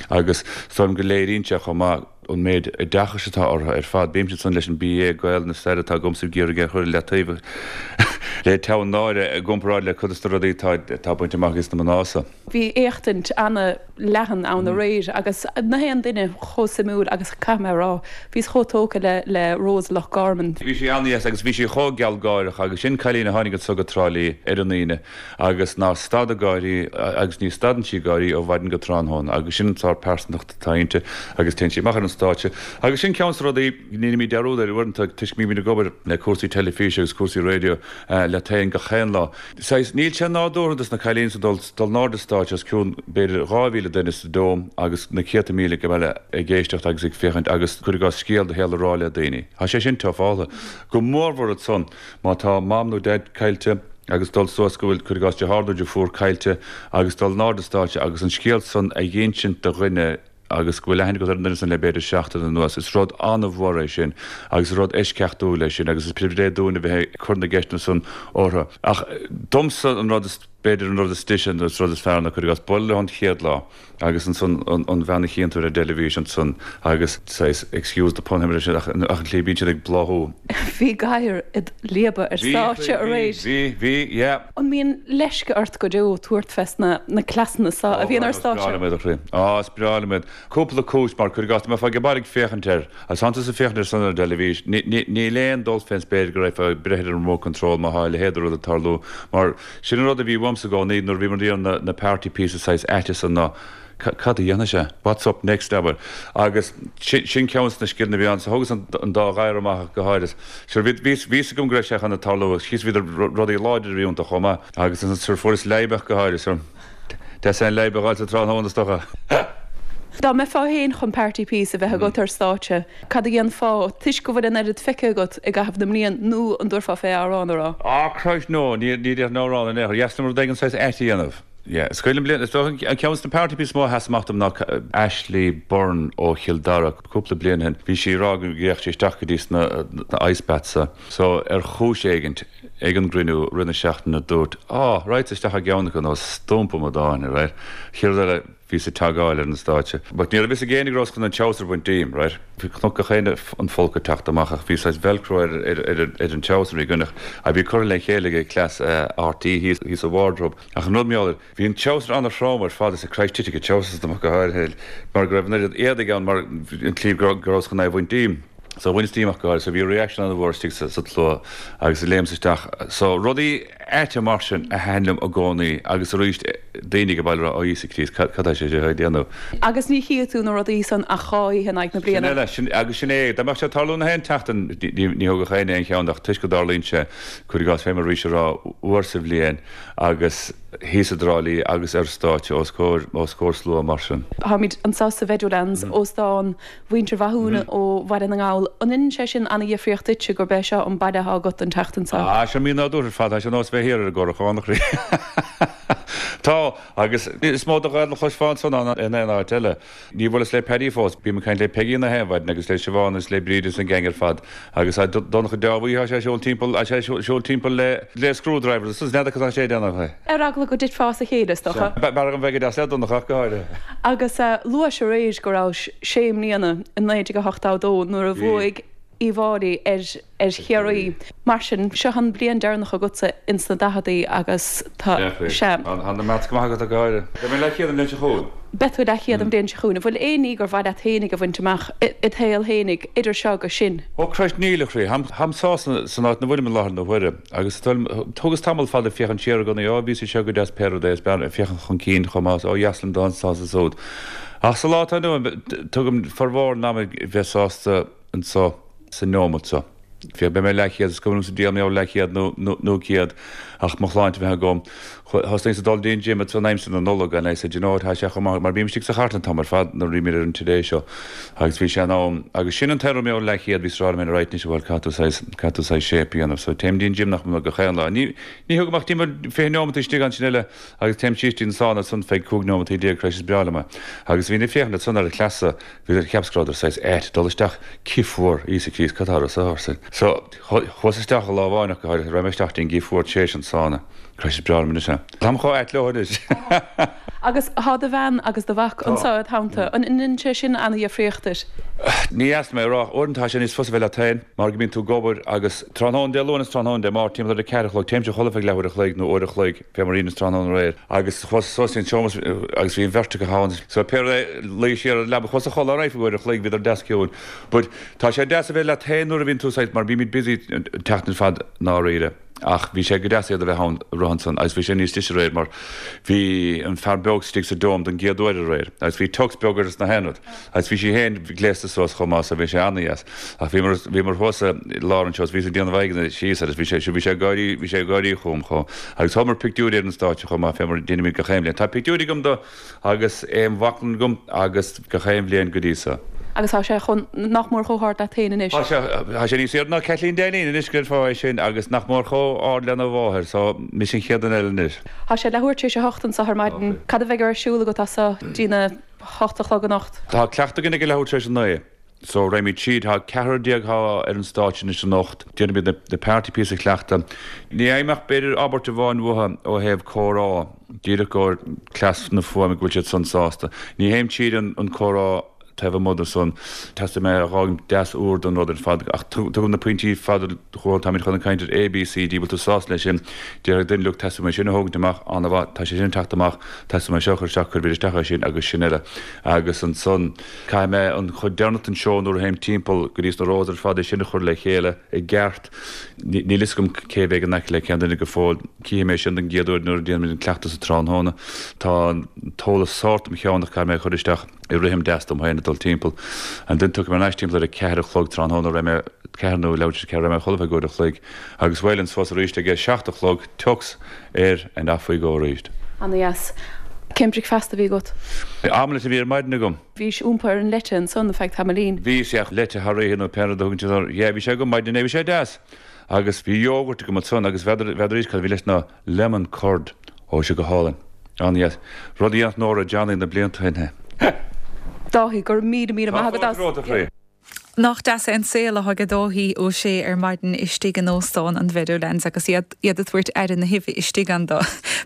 Agus is dóigh liom go léiríonn sé chomh maith an méid oideachais atá orthu ar fad. Bímse ansan leis an BA Gaelainn is Stair atá agamsa ag iarraidh é a chur i leataobh le teann náire i gcomparáid le cuid de na rudaí atá bainte amach ages na mná so. Bhí éachtaint ana-leathan ann aréir agus na haon duine chomh suimiúil agus caithfidh mé a rá, bhíos chomh tógtha le le Rose Loch Garman. Bhí sí an-dheas agus bhí sí chomh gealgháireach agus sin cailín a tháinig anso go Trá Lí ar an Aoine agus nár stad ag gáirí agus ní stadann sí ag gáirí ó mhaidin go tráthnóna agus sin an sórt pearsantacht atá inti agus téann sí amach ar an stáitse agus sin ceann de na rudaí a ndéanaimid dearúd air uaireanta toisc go mbímid ag obair le cúrsaí teilifíse agus cúrsaí raidió leat féin gach aon lá. Saghas, níl sé nádúrtha dos na cailíní so dul dul in airde stáitse os cionn b'fhéidir 2,000 duine sa Dome agus na céadta míle ag baile ag éisteacht agus ag féachaint agus cuir i gcás scéal do shaoil a rá le daoine. Tá sé sin tufálta. Go mórmhór ansan má tá mam nó daid caillte agus dul suas go bhfuil, cuir i gcás, deartháir nó deirfiúr caillte agus dul in airde stáitse agus an scéal san a dh'insint do dhuine agus go bhfuil aithne agat ar an duine san le b'fhéidir seachtain anuas. Is rud an-mhór é sin agus is rud eisceachtúil é sin agus is pribhléid dúinn a bheith ag cur na gceisteanna san orthu. Ach domsa an rud is. B'fhéidir an rud is deise nó is rud is fearr ná cuir i gcás, bualadh leo an chéad lá agus ansan an bhean a chíonn tú ar an dteilifís ansan agus saghas, excuse the pun, ach an tslí a bíonn siad ag bláthú. Bhí gadhar id leaba ar stáitse aréir. Bhí, bhí, yeah. An mbíonn leisce ort go deo tabhairt fes na cleasanna so a bhíonn ar stáitse? Ó, is breá liom iad, a chroí. Á, is breá liom iad. Cúpla cúis, mar cuir i gcás, dá mbeifeá ag baile ag féachaint air, Agus tánn tusa ag féachaint air san ar an dteilifís, níl aon dul fén spéir go raghfá ag breith ar an remote control má thá a leithéid de rud ag tarlú, mar sin an rud a bhí uaimsa i gcónaí nuair a bhíomar ag déanamh na party pieces saghas aite san ná cad a dhéanfaidh sé? What's up next, abair? Agus sin ceann de na scileanna a bhí ann. So thógas an dá ghadhar amach go háirid. Sure bhí fhios agam go raibh sé chun a tarlú agus chíos bhíodar rudaí láidir a bhí iontu chomh maith. Agus ansan sure fuaireas leadhb go háirid. Sure. Deas é an leadhb a dh'fháil sa tráthnóna is dócha. Dá mbeifeá féin chun party piece a bheith agat ar stáitse, cad a dhéanfá, toisc go bhfuil an oiread feicthe agat i gcaitheamh na mblian, nó an dtabharfá fé amhrán a rá? Ah Christ no, ní déarfainn amhrán in aon chor. Dheas liom rud éigin saghas ait a dhéanamh. Yeah, is cuimhin liom bliain, is dócha an ceann de na party pieces is mó a sheas amach dom ná Ashley Byrne ó Chill Dara, cúpla bliain ó shin. Bhí sí ag rá go rachadh sí isteach go dtí sna ice baths. So, ar chúis éigint, ag an gcruinniú rith na seachtaine dúirt, Á, raghadsa isteach i gceann acu nó stumpa amadáin, right? Chéad rud eile, bhíos ag tagáil ar an stáitse. But ní raibh fhios ag éinne go rabhas chun an treabhsar a bhaint díom, right? Chonac gach éinne an folcadh ag teacht amach ach bhí saghas velcro ar, ar, ar, ar an treabhsar a bhí againn ach a bhí curtha le chéile ag cleas RTÉ thíos, thíos sa wardrobe. Ach an rud mar gheall air, bhí an treabhsar an-throm ar fad is Christ titfidh an treabhsar asam ach go háirithe mar go raibh an oiread éadaigh ann mar an tslí go rabhas chun é a bhaint díom. So bhaineas díom ach go háirithe. So bhí reaction an-mhór istigh sa tslua agus léimeas isteach. So rudaí aite mar sin a thaitin liom i gcónaí agus arís daoine ag baile ag rá Ó Íosa Críost cad tá sé seo ag déanamh? Agus ní chífidh tú na rudaí san ach dhá oíche in aghaidh na Sin bliana. eile, sin, agus sin é, dá mbeadh sé ag tarlú na haon tseachtain ní thógfadh éinne aon cheann ach toisc go dtarlaíonn sé, cuir i gcás fé mar a bhís ag rá, uair sa bhliain agus thíos i dTrá Lí agus ar stáitse os comhair, os comhair slua mar sin. Táimid anseo sa Mheadowlands, óstán mhuintir Mhathúna ó Bhaile na nGall. An ndeineann sé sin ana-dhifríocht duitse gurb é seo an baile atá agat an tseachtain seo? Ah, seo mí-nádúrtha ar fad, tá sé ar nós bheith thiar ar an gCorrachán, a chroí. Tá, agus is mó de Ghaeilge a chloisfeá anso ná in aon áit eile. Níor bhuaileas le Paddy fós. Bím ag caint le Peigí na haon mhaidin agus le Siobhán agus le Bríd agus an gang ar fad. Agus tá Donncha Deábhuí, tá sé ag siúl timpeall, tá sé ag siúl timpeall le, le screwdriver agus n'fheadar cad tá sé ag déanamh. Ar eagla go dtitfeá as a chéile, is dócha. B'fhearr dhom bheith go deas le Donncha ach go háirithe. Agus luais aréir go rabhais sé mbliana i 1982 nuair a bhuaigh Uíbh Fhailí ar ar Chiarraí. Mar sin, seo an bliain deireanach agatsa ins na daicheadaí agus tá, sea. Tá na maths go maith agat ach go háirithe. Beidh mé leathchéad an bhliain seo chugainn. Beidh tú leathchéad an bhliain seo chugainn. An bhfuil aon ní gur mhaith leat fhéinig a bhaint amach id shaol fhéinig, idir seo agus sin? Ó Christ, níl, a chroí. Táim sásta san áit 'na bhfuilim i láthair na huaire. Agus thugas tamall fada ag féachaint siar i gcónaí, ó bhíos anseo go deas pé rud é, is b'fhearr féachaint chun cinn chomh maith, ó dheas liom dul anso is ansúd. Ach sa lá atá inniu ann, tugaim formhór an ama ag bheith sásta anso sa neomat seo. Féach, beidh mé leathchéad, is cuma liomsa diabhal mé leathchéad nó nó céad ach mo shláinte a bheith agam. Thosnaíos ag dul dtí an gym ansan aimsir na Nollag and I said, you know what, tá sé chomh maith, mar bím istigh sa chartlann an t-am ar fad nuair a bhímid ar an Today Show agus bhí sé in am, agus sin an t-aon rud mé leathchéad, bhíos ag rá liom féin, right anois, bhuel, caithfidh tú saghas, caithfidh tú saghas shape a dhéanamh. So téim dtí an gym nach beag gach aon lá. Ní, ní thugaim ach timpeall 20 neomat istigh ansin eile agus téim síos dtí an sauna ansan feadh 15 neomataí, Christ is breá liom é. Agus bhínn ag féachaint ansan ar an chleas Bhí cheapas go rabhadar saghas ait dul isteach cith fuar, Íosa Críost, cad tá orthu arsa. So, chuas isteach lá amháin ach go háirithe, raibh mé isteach dtí an gcith fuar tar éis an sauna. Christ is breá liom anois é. Táim chomh ait leo anois. Agus tá do bhean agus do mhac anseo id theannta. An ndeineann sé sin ana-dhifríocht duit? Ní dheas liom é a rá ach uaireanta tá sé níos fusa bheith leat féin mar go mbíonn tú ag obair agus tráthnóna Dé Luain is tráthnóna Dé Máirt timpeall ar a ceathair a chlog téimse a chodladh feadh leathuair a chloig nó uair a chloig fé mar a dheineas tráthnóna aréir agus chuas suas dtí an seomra agus bhí an bheirt acu ann so pé rud é luíos siar ar an leaba chuas a chodladh alright feadh uair a chloig bhíodar deas ciúin but tá sé deas a bheith leat féin nuair a bhíonn tú saghas mar bímid busy an tseachtain ar fad i ndáiríre ach bhí sé go deas iad a bheith ann rith ansan agus bhí sé níos deise aréir mar bhí an fear beag istigh sa dome don gcéad uair aréir agus bhí tux beag air is na haon rud Agus bhí sí féin gléasta suas chomh maith so bhí sé ana-dheas. Ach bhíomar, bhíomar thuas i lár an seó is bhíos ag déanamh aghaidheanna síos air is bhí sé, bhí sé ag gáirí, bhí sé ag gáirí chugam chomh. Agus thógamar pictiúirí ar an stáitse chomh maith fé mar a deinimid gach aon bhliain. Tá pictiúirí agam de agus é im bhaclainn agam agus gach aon bhliain go dtí so. Agus tá sé chomh, nach mór chomh hard leat féin anois. Tá sé, tá sé níos airde ná Caitlín Dainín anois go déarfá é sin agus nach mór chomh ard lena mháthair so mise an chéad duine eile anois. Tá sé leathuair tar éis a hocht anso ar maidin. Cad a bheidh ar siúl agat as so dtí na. 8 a chlog anocht. Tá cleachtadh againn ag a leathuair tar éis a 9. So, raghaimid tríd. Tá ceathrar atá ar an stáitse anois anocht. Déanfaimid na party píosa a chleachtadh. Ní fhaighim ach b'fhéidir abairt amháin uathu ó thaobh comhrá, díreach i gcomhair cleas na fuaime go bhfuil siad san sásta. Ní théim tríd an comhrá taobh amuigh de san. Teastaíonn mé a dh'fhágaint deas úr don rud ar fad. Ach tugaim na pointí fada chucu, táimid chun ag caint ar A, B, C, D, bhfuil tú sásta leis sin? Déarfaidh duine, look, teastaíonn uaim sin a thógaint amach, an-mhaith, tá sé sin ag teacht amach, teastaíonn uaim seo a chur isteach, cuirfimid isteach é sin agus sin eile. Agus ansan. Caithfidh mé an chuid deireanach den seó nuair a théim timpeall go dtí sna rows ar fad é sin a chur le chéile i gceart. Níl fhios agam cé a bheidh in aice le cén duine go fóill. Cífidh mé sin don gcéad uair nuair a déanfaimid an cleachtadh sa tráthnóna. Tá an t-eolas sórt im cheann ach caithfidh mé a chur isteach i rithim deas dom féin ag dul timpeall. Ansin tiocfaidh mé ar ais timpeall ar a ceathair a chlog tráthnóna raghaidh mé ceathair nó leathuair tar éis a ceathair raghaidh mé a chodladh feadh uair a chloig agus bhuel an suas arís ag a seacht a chlog tux air and off we go arís. Ana dheas. Cén bricfeasta a bhí agat? Omelette a bhí ar maidin agam. Bhís iompaithe ar an leite ansan feadh tamaillín. Bhíos, yeah, leite thar oíche nó pé rud a thugann siad air. Yeah, bhí sé agam maidin inné, bhí sé deas. Agus bhí yogurt agam ansan agus n'fheadar, n'fheadar arís cad a bhí leis ná lemon curd. Ó, bhí sé go hálainn. An-dheas. Rud a dhéanfadh Nóra Johnny na blianta ó shin. Dáithí, go raibh míle, míle maith agat as. Tá fáilte romhat, a chroí. Nach deas é an saol atá ag Dáithí Ó Sé ar maidin istigh in Óstán an Mheadowlands agus iad ag tabhairt aire na huibhe istigh ann do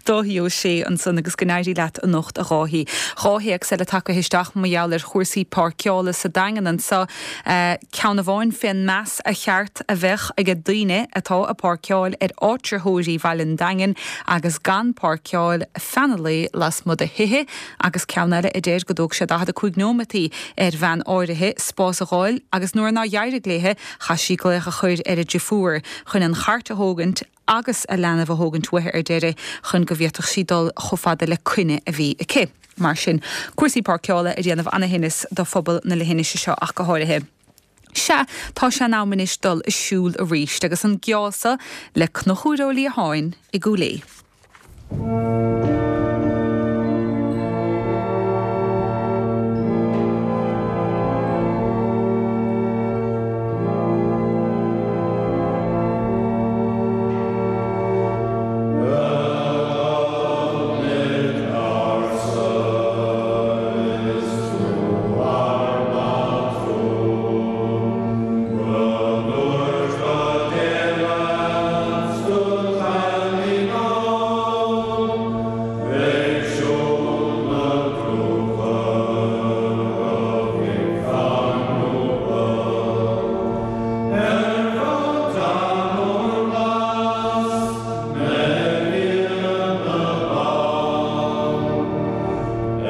Dáithí Ó Sé ansan agus go n-éirí leat anocht a Dháithí. Dhá théacs eile tagtha isteach mar gheall ar chúrsaí páirceála sa Daingean anso, ceann amháin fén meas a cheart a bheadh age daoine atá ag páirceáil ar áitritheoirí Bhaile an Daingin agus gan páirceáil feadh na lae lasmuigh de thithe Agus ceann eile a deir go dtóg sé 45 nóimeataí ar bhean áirithe spás a dh'fháil agus nuair nár dh'éirigh léithe chaith sí glaoch a chur ar a driofúr chun an chairt a thógaint agus a leanbh a thógaint uaithi ar deireadh chun go bhféadfadh sí dul chomh fada le coinne a bhí aici. Mar sin, cúrsaí páirceála ag déanamh ana-thinneas do phobal na leithinise seo ach go háirithe. Sea, tá sé in am anois dul ag siúl arís agus an geábh so le Conchúr Ó Liatháin i gCúil Aodha.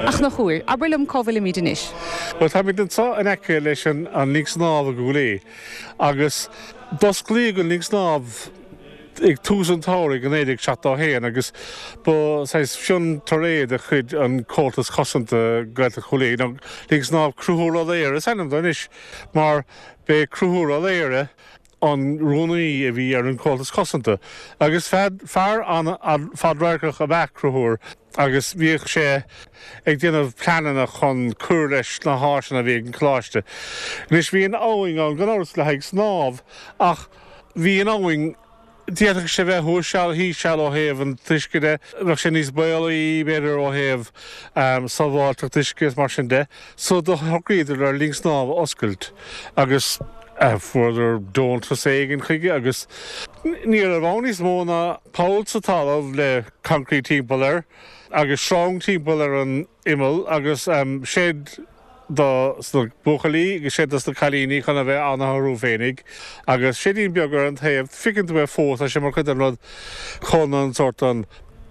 A Chonchúir, abair liom cá bhfuilimid anois? Bhuel, táimid anseo in aice leis an linn snámha i gCúil Aodha agus d'osclaíodh an linn snámha ag tús an tsamhraidh i 1971 agus ba saghas fiontar é de chuid an Comhaltas Cosanta Gaeltacht Chúil Aodha, nó Linn Snámha Conchúr Ó Laoghaire is ainm dó anois mar b'é Conchúr Ó Laoghaire an rúnaí a bhí ar an Comhaltas Cosanta agus fear an-fhadradharcach ab ea Conchúr agus bhíodh sé ag déanamh pleananna chun cur leis na háiseanna a bhí ag an choláiste. Anois bhí an abhainn ann gan amhras le haghaidh snámh ach bhí an abhainn, d'fhéadfadh sé bheith thuas seal, thíos seal ó thaobh an t-uisce de, bheadh sé níos baolaí b'fhéidir ó thaobh sábháilteacht uisce is mar sin de. So do shocraíodar ar linn snámha a oscailt agus fuaireadar deontas éigin chuige agus ní raibh ann níos mó ná poll sa talamh le concrete timpeall air agus sreang timpeall ar an imeall agus seid do sna buachaillí agus seid dos na cailíní chun a bheith orthu féinig agus seidín beag ar an taobh, feiceann tú é fós, tá sé mar chuid den rud chun an sórt an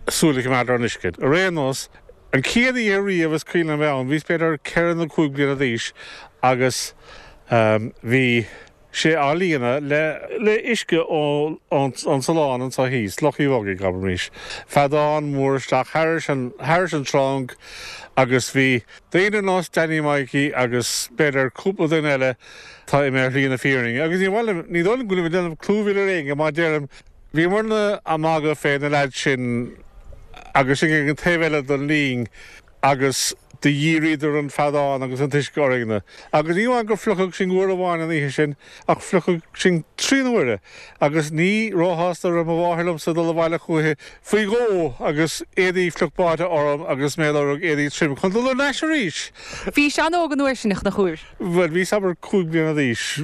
súil a choimeád ar an uisce. Ar aon nós, an chéad oíche riamh is cuimhin liom a bheith ann, bhíos b'fhéidir ceithre nó cúig bliana d'aois agus bhí. sé á líonadh le le uisce ón salán anseo thíos, Loch Uí Bhogaigh, abraimis. Feadán mór isteach thairis an thairis an tsreang agus bhí daoine ar nós Danny Mikey agus b'fhéidir cúpla duine eile atá imithe ar shlí na fírinne agus ní mhaith liom, ní dóigh liom go bhfuilim ag déanamh clúmhilleadh ar éinne má deirim, bhíomarna ag magadh fé na leaids sin agus sinn ag an taobh eile den linn agus. Do dhíríodar an feadán agus an t-uisce orainne. Agus ní amháin gur fliuchadh sinn uair amháin an oíche sin, ach fliuchadh sinn trí n-uaire, agus ní róshásta a raibh mo mháthair liomsa dul abhaile chúichi faoi dhó agus éadaí fliuch báite orm agus mé ag lorg éadaí trim chun dul thar n-ais arís! Bhís an-óg an uair sin, a Chonchúir. Bhuel, bhíos abair 5 bliana d'aois,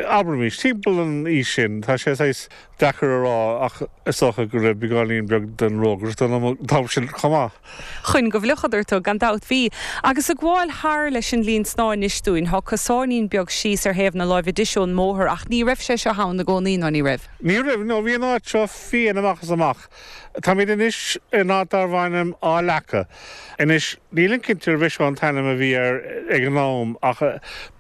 abraimis, timpeall an aois sin. Tá sé saghas deacair a rá ach is dócha go raibh beagáinín beag den rógaireacht ionam an t-am sin chomh maith. Chun go bhfliuchadar tú, gan dabht. Bhí. Agus ag gabháil thar leis an linn snámha anois dúinn, thá cosáinín beag síos ar thaobh na láimhe deise ón mbóthar ach ní raibh sé seo ann i gcónaí, ná ní raibh? Ní raibh, no bhí an áit seo fiáin amach is amach. Táimid anois in áit darbh ainm Áth Leaca. Anois, nílim cinnte arbh é seo an t-ainm a bhí air ag an am ach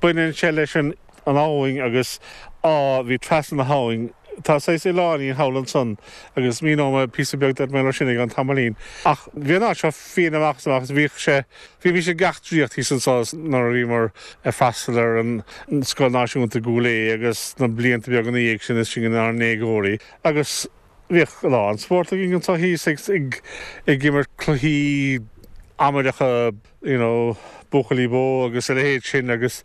baineann sé leis an an abhainn agus áth a bhí trasna na habhainn. Tá saghas oileáinín thall ansan agus míneoidh mé píosa beag duit mar sin i gceann tamaillín. Ach bhí an áit seo fiáin amach is amach agus bhíodh sé, bhímís ag eachtraíocht thíos anso nuair a bhíomar ag freastal ar an Scoil Náisiúnta i gCúil Aodha agus na blianta beaga ina dhiaidh sin is sinn inár ndéagóirí agus Bhíodh a lán spórt againn anseo thíos ag ag imirt cluichí amaideacha you know buachaillí bó agus a leithéid sin agus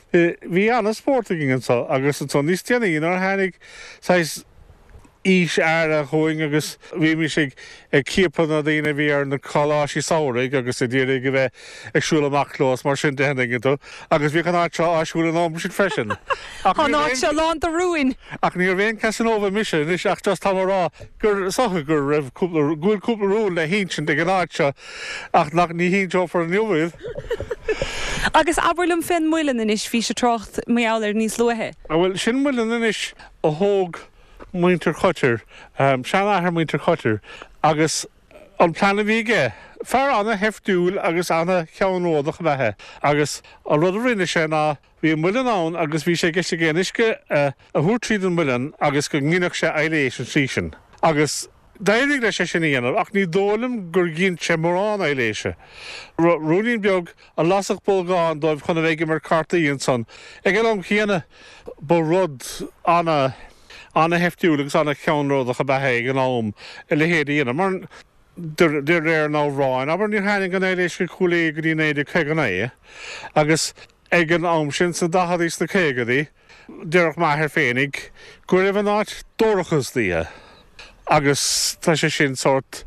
bhí ana-spórt againn anseo agus ansan níos déanaí nuair a tháinig saghas aois áirithe chugainn agus bhímis ag ag ciapadh na daoine a bhí ar na coláistí samhraidh agus ag iarraidh a bheith ag siúl amach leo is mar sin de an dtuigeann tú agus bhíodh an áit seo áisiúil an am sin freisin. Ach Tá an áit seo lán de rúin! Ach níorbh aon Casanova mise anois ach just táim a rá gur is dócha go raibh cúpla, go bhfuil cúpla rún le hinsint ag an áit seo ach nach, ní hinseofar inniu iad. Agus abair liom fén muileann anois, bhís ag trácht mar gheall air níos luaithe. Bhuel, sin muileann anois a thóg muintir Chotter, seanathair muintir Chotter agus an plean a bhí aige, fear ana-sheiftiúil agus ana-cheannródach ab ea é agus an rud a rinne sé ná Bhí an muileann ann agus bhí sé i gceist aige an uisce a thabhairt tríd an muileann agus go nginfeadh sé aibhléis an tslí sin. Agus d'éirigh leis é sin a dhéanamh ach ní dóigh liom gur ghin sé mórán aibhléise. Ruainnín beag a lasfadh bolgán dóibh chun a bheith ag imirt cártaí ansan. Ag an am chéanna ba rud ana, ana-sheiftiúil agus ana-cheannródach ab ea é ag an am a leithéid a dhéanamh mar de réir an amhráin, abair, níor tháinig an aibhléis go Cúil Aodha go dtí 1959 agus Ag an am sin, sna daicheadaí, sna caogadaí, déarfadh m'athair féinig go raibh an áit dorcha istoíche. Agus tá sé sin sórt,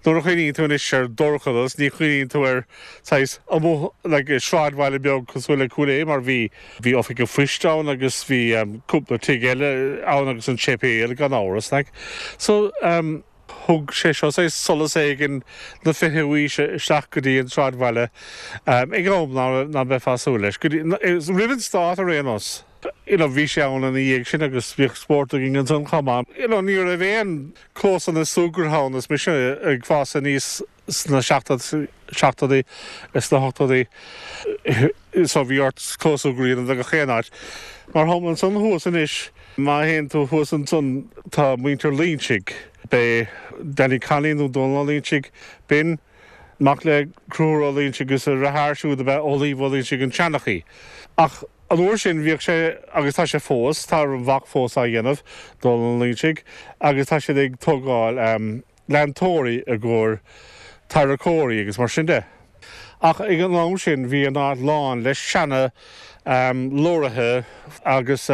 nuair a chuimhníonn tú anois ar dorchadas, ní chuimhníonn tú ar saghas amuigh like i sráidbhaile beag cosúil le Cúil Aodha mar bhí, bhí oifig an phoist ann agus bhí cúpla tigh eile ann agus an séipéal gan amhras like. So. Thug sé seo saghas solas éigin na fichiú haoise isteach go dtí an sráidbhaile ag am ná beifeá ag súil leis, go dtí, roimh an stát ar aon nós. You know, bhí sé ann ina dhiaidh sin agus bhíodh spórt againn ansan chomh maith. You know, ní raibh aon clósanna súgartha ann is mise ag fás aníos sna seachtóidí is sna hochtóidí so bhí ort clós súgartha a dhéanamh de gach aon áit. Mar shampla ansan thuas anois, má théann tú thuas ansan tá muintir Loinsigh, b'é Danny Connolly nó Dónal Ó Loinsigh, b'in mac le Conchúr Ó Loinsigh agus a dheartháir siúd ab ea Amhlaoibh Ó Loinsigh an seanchaí. Ach an uair sin bhíodh sé, agus tá sé fós, tá a mhac fós á dhéanamh, Dónal Ó Loinsigh, agus tá siad ag tógáil, leantóirí i gcomhair tarracóirí agus mar sin de. Ach ag an am sin bhí an áit lán le seana leoraithe agus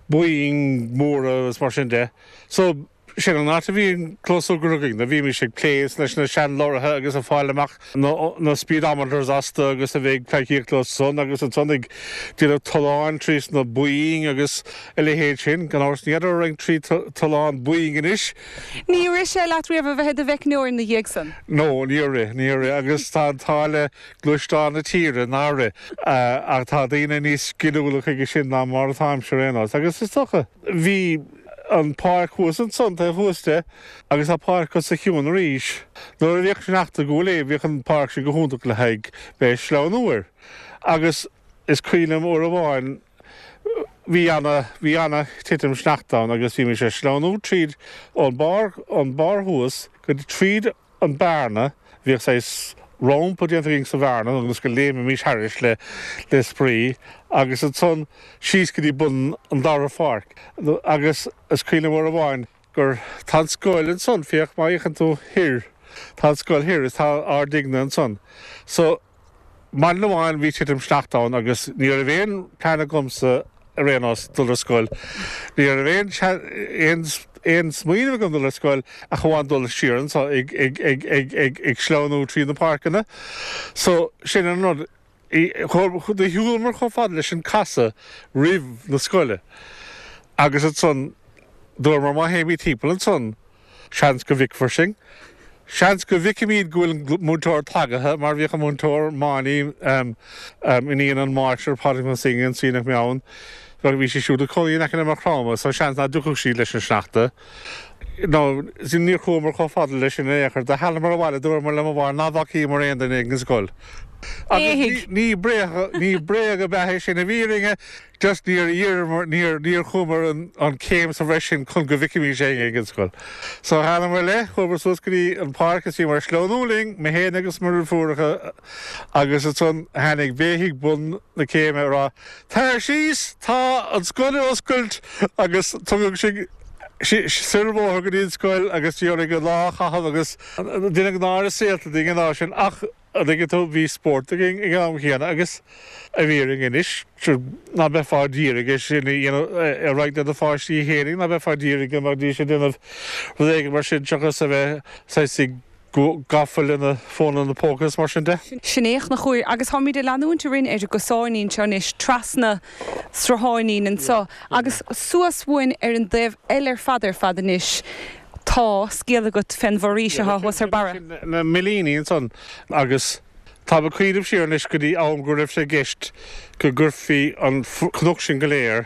Boeing móra agus mar sin de. So sin an áit a bhí an clós súgartha againn. Bhímis ag plé leis na sean leoraithe agus ag fáil amach na speedometers astu agus a bheith ag pleidhcíocht leo san agus ansan ag déanamh tolláin trí sna Boeing agus a leithéid sin. Gan amhras ní fheadar an raibh trí tollán Boeing anois. Níor rith sé leat riamh a bheith i do mheicneoir ina dhiaidh san? No, níor rith, níor rith agus tá an t-ádh le gluaisteáin na tíre nár rith. Ach tá daoine níos sciliúla chuige sin ná mar atáimse ar aon nós. Agus is dócha, bhí an pháirc thuas ansan, taobh thuas de, agus tá páirc os a chionn arís. Nuair a bhíodh sneachta i gCúil Aodha, bhíodh an pháirc sin go hiontach le haghaidh bheith ag sleamhnú air. Agus is cuimhin liom uair amháin, Bhí ana, bhí ana titim sneachta ann agus bhí mise ag sleamhnú tríd ón barr, ón barr thuas go dtí tríd an bearna, bhíodh saghas rampa déanta againn sa bhearna ionas go léimfimis thairis le, le spraoi agus ansan síos go dtí bun an dara pháirc agus is cuimhin liom uair amháin gur, tá an scoil ansan, féach má fhéachann tú thoir. Tá an scoil thoir is tá ár dtighne ansan. So, maidin amháin bhí titim sneachta ann agus ní raibh aon plean agamsa ar aon nós dul ar scoil. Ní raibh aon aon aon smaoineamh agam dul ar scoil ach amháin dul siar anso ag ag ag ag ag ag sleamhnú trí na páirceanna. So, sin an rud. Do shiúlamar chomh fada leis an casadh roimh na scoile agus ansan dúramar má théimid timpeall ansan seans go bhficfear sinn. Seans go bhficfimid go bhfuil an múinteoir tagaithe mar bhíodh an múinteoir Máiní, iníon an máistir Pádraig Mac Synge anso nach mbeadh ann, bhí sí siúd ag cónaí in aice le Maigh Chromtha so seans ná dtiocfadh sí leis an sneachta. Nó níor chuamar chomh fada leis sin in aon chor. Do shealamar abhaile, dúramar le mo mháthair ná bhfacaíomar aon duine ag an scoil. Agus ní bréag, ní bréag ab ea é sin i bhfírinne, just níor iarramar, níor, níor chuamar an céim sa bhreis sin chun go bhficfimís éinne ag an scoil. So shealamar i leith, chuamar suas go dtí an páirc is bhíomar ag sleamhnú linn, mé féin agus mo dheirfiúracha, agus ansan tháinig béithigh bun na céime ag rá, Tar síos, tá an scoil ar oscailt agus tugadh sinn soir an bóthar go dtí an scoil agus bhí orainn an lá a chaitheamh agus deineadh náire saolta dínn an lá sin ach an dtuigeann tú bhí spórt againn ag an am chéanna agus i bhfírinne anois ná beifeá d'iarraidh é sin a dhéanamh a roinnt le do pháistí fhéinig ná beifeá d'iarraidh go mbeidís ag déanamh rud éigin mar sin seachas a bheith saghas ag gafa lena fónanna póca is mar sin de. Sin é a Chonchúir. Agus táimid ag leanúint orainn ar an gcosáinín seo anois, trasna srutháinín anseo agus suas uainn ar an dtaobh eile ar fad ar fad anois tá scéal agat fén bhforaois atá thuas ar barra. Sin na millíní ansan agus táim ag cuimhneamh siar anois go dtí am go raibh sé i gceist go gcuirfí an cnoc sin go léir,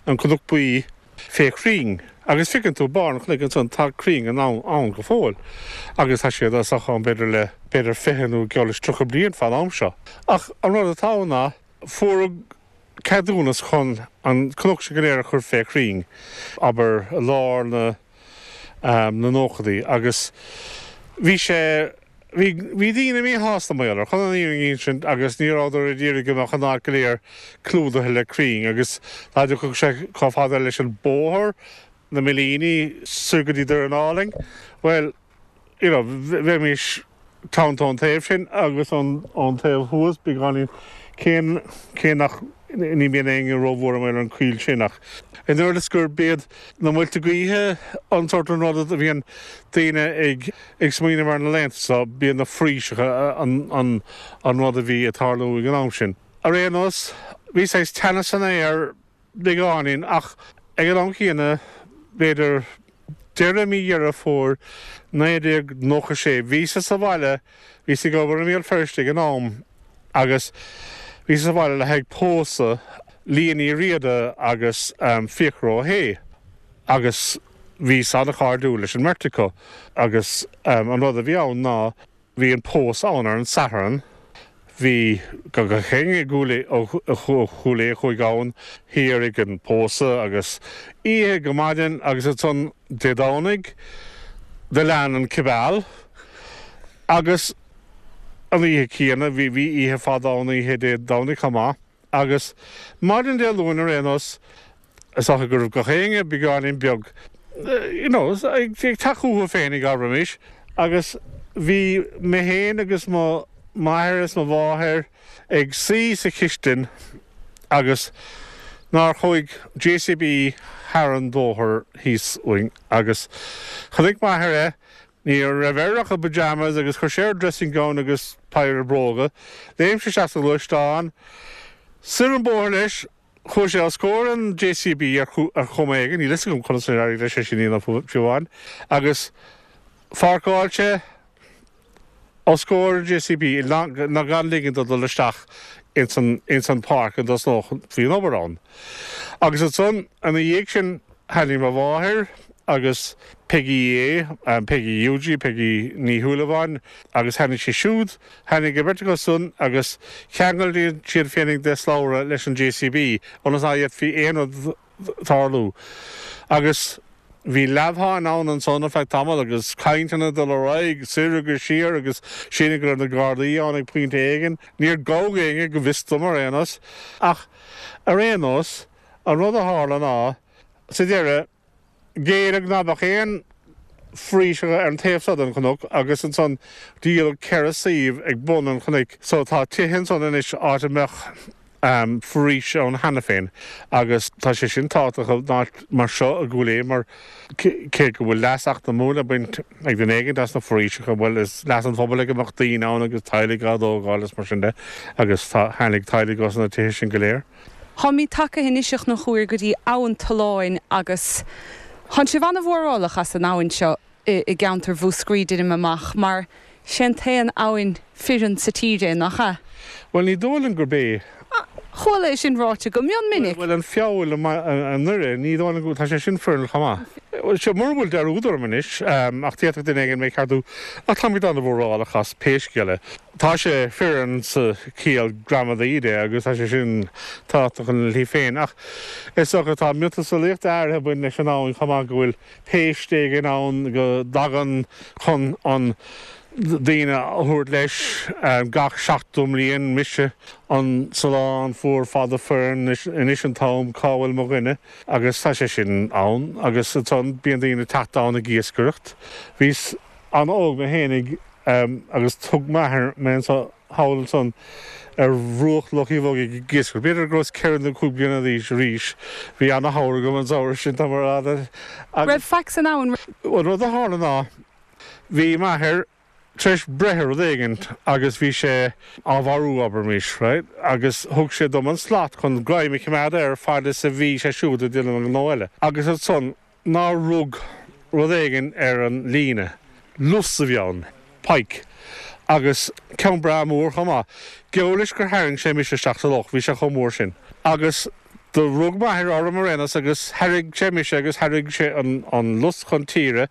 an Cnoc Buí, fé chrainn. Agus feiceann tú barr an chnoic ansan, tá crainn ann go fóill. Agus tá siad as ann b'fhéidir le b'fhéidir 20 nó geall leis 30 bliain fán am seo. Ach an rud atá ann ná, fuaireadh ceadúnas chun an cnoc sin go léir a chur fé chrainn, abair i lár na na nóchadaí. Agus bhí sé. Bhí, bhí daoine míshásta mar gheall air, chun an fhírinne a insint, agus ní rabhadar ag iarraidh go mbeadh an áit go léir clúdaithe le crainn, agus dá dtiocfadh sé chomh fada leis an bóthar, na Millíní, soir go dtí Doire Álainn, bhuel, you know, bheimís teannta ón taobh sin agus ón, ón taobh thuas, beagáinín, cé, cé nach, ní bhíonn éinne róbhuartha mar gheall ar an choill sin ach, an oiread is gurb iad na muilte gaoithe an sórt an rud a bhíonn daoine ag. Ag smaoineamh air na laethanta so, b'iad na foraoiseacha an rud a bhí ag tarlú ag an am sin. Ar aon nós, bhí saghas teannas san aer beagáinín ach ag an am chéanna, b'fhéidir deireadh mí Dheireadh Fómhair 1996, bhíos-sa sa bhaile, bhíos ag obair i mBéal Feirste ag an am agus bhíos sa bhaile le haghaidh pósadh Liadh Ní Riada agus Fiachra Ó hAodha agus Bhíos an-chairdiúil leis an mbeirt acu agus an rud a bhí ann ná bhí an pósadh ann ar an Satharn, bhí gach éinne i gCúil Aodha, ó Chúil Aodha a chuaigh ann thiar ag an pósadh agus oíche go maidin agus ansan Dé Domhnaigh do lean an cibeal agus an oíche chéanna, bhí oíche fada ann oíche Dé Domhnaigh chomh maith agus maidin Dé Luain ar aon nós Is dócha go raibh gach éinne beagáinín beag, you know, ag teacht chucu féinig, abraimis, agus bhí mé féin agus mo m'athair is mo mháthair ag suí sa chistin agus nár chuaigh JCB thar an bhóthar thíos uainn agus chonaic m'athair é, ní raibh air ach a pyjamas agus chuir sé air dressing gown agus péire bróga, léim sé isteach sa ghluaisteán, soir an bóthar leis, Chuaigh sé os comhair an JCB ar chuma éigin, níl fhios agam conas ar éirigh leis é sin a dhéanamh fiú amháin, agus pháirceáil sé os comhair an JCB ná gan ligean dó dul isteach ins an ins an pháirc an dtosnódh bhí an obair ann. Agus ansan ina dhiaidh sin tháinig mo mháthair agus Peigí A, Peigí Eugie, Peigí Ní Shúilleabháin, agus tháinig sí siúd Tháinig an bheirt acu san agus cheangail siad féinig de shlabhra leis an JCB ionas ná fhéadfaí aon rud tarlú. Agus bhí leamhsháinn ann ansan ar feadh tamaill agus cainteanna ag dul ar aghaidh soir agus siar agus sílim go raibh na Gardaí ann ag pointe éigin. Níor gabhadh éinne go bhfios dom ar aon nós. Ach ar aon nós, an rud a tharla ná, sa deireadh, Géilleadh ná beadh aon. foraoiseacha ar an taobh seo den chnoc agus ansan díoladh 4 suíomh ag bun an chnoic so tá tithe ansan anois áit a mbeadh foraois ann cheana féin agus tá sé sin tábhachtach in áit mar seo i gCúil Aodha mar cé go bhfuil leas eacnamúil le baint ag duine éigin as na foraoiseacha, bhuel is leas an phobail é go mbeadh daoine ann agus teaghlaigh á dtógáil is mar sin de agus tá, tháinig teaghlaigh os na tithe sin go léir. Táimid tagtha anois a Chonchúir go dtí Abhainn Tolláin agus tánn sibh an-mhórálach as an abhainn seo i gceantar Mhúscraí, deinim amach, mar sé an t-aon abhainn fireann sa tír é, nach ea? Bhuel, ní dóigh liom gurb é. Chuala é sin ráite go mion minic. Bhuel, an Feabhal i nDoire, ní dóigh liom go, tá sé sin fireann chomh maith. Bhuel, seo, mura bhfuil dearúd orm anois, ach d'fhéadfadh duine éigin mé a cheartú, ach táimid an-mhórálach as pé scéal é. Tá sé fireann sa chiall gramadaí de agus tá sé sin tábhachtach ina shlí féin, ach is dócha tá miotaseolaíocht áirithe ag baint leis an abhainn chomh maith, go bhfuil péist éigin ann go dtagann chun an daoine a thabhairt leis gach 70 mbliain, mise an salán fuar fada fireann, anois an t-am, cá bhfuil mo dhuine? Agus tá sé sin ann agus ansan bíonn daoine ag teacht ann ag iascaireacht. Bhíos an-óg mé fhéinig agus thug m'athair mé anso thall ansan ar bhruach Loch Uí Bhogaigh ag iascaireacht. B'fhéidir go rabhas ceithre nó cúig bliana d'aois arís. Bhí ana-shamhradh agam an samhradh sin, tá mé a rá leat. Raibh faic san abhainn? An rud a tharla ná, bhí m'athair tar éis breith ar rud éigin agus bhí sé á mharú, abraimis, right, agus thug sé dom an slat chun greim a choimeád air fad is a bhí sé siúd ag déanamh an gnó eile. Agus ansan nár rug rud éigin ar an líne. Lus a bhí ann. Pike. Agus ceann breá mór chomh maith. Geall leis gur tharraing sé mise isteach sa loch, bhí sé chomh mór sin. Agus do rug m'athair orm ar aon nós agus tharraing sé mise agus tharraing sé an lus chun tíre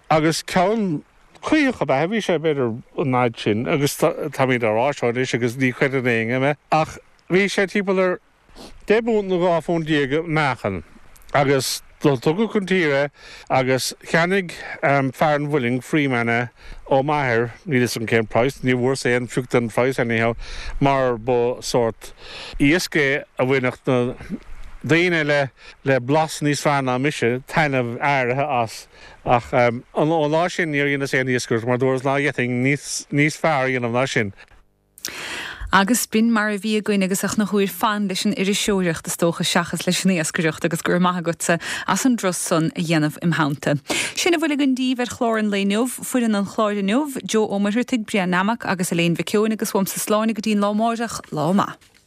agus ceann caoch ab ea é, bhí sé b'fhéidir an fhaid sin agus táimid á rá seo anois agus ní chreideann éinne mé ach bhí sé timpeall ar 10 bpunt nó 12 phunt i meáchan agus do tugadh chun tíre é agus cheannaigh fear an mhuilinn, Freeman, é ó m'athair, níl 'fhios agam cén praghas, ní bhfuaireas aon phioc den phraghas anyhow, mar ba sórt iasc é a bhainfeadh na daoine le le blas níos fearr ná mise taitneamh áirithe as. Ach ón lá sin níor dheineas aon iascaireacht mar dúras ná d'fhéadfainn níos fearr a dhéanamh ná sin. Agus b'in mar a bhí againn agus a Chonchúir fan leis an iriseoireacht is dócha seachas leis an iascaireacht agus go raibh maith agatsa as an dturas san a dhéanamh im theannta. Sin a bhfuil againn daoibh ar chlár an lae inniu. Foireann an chláir inniu, Joe Ó Muircheartaigh, Brian Nammock agus Elaine Mhic Eoin agus uaimse slán go dtí an lá amáireach, lá maith.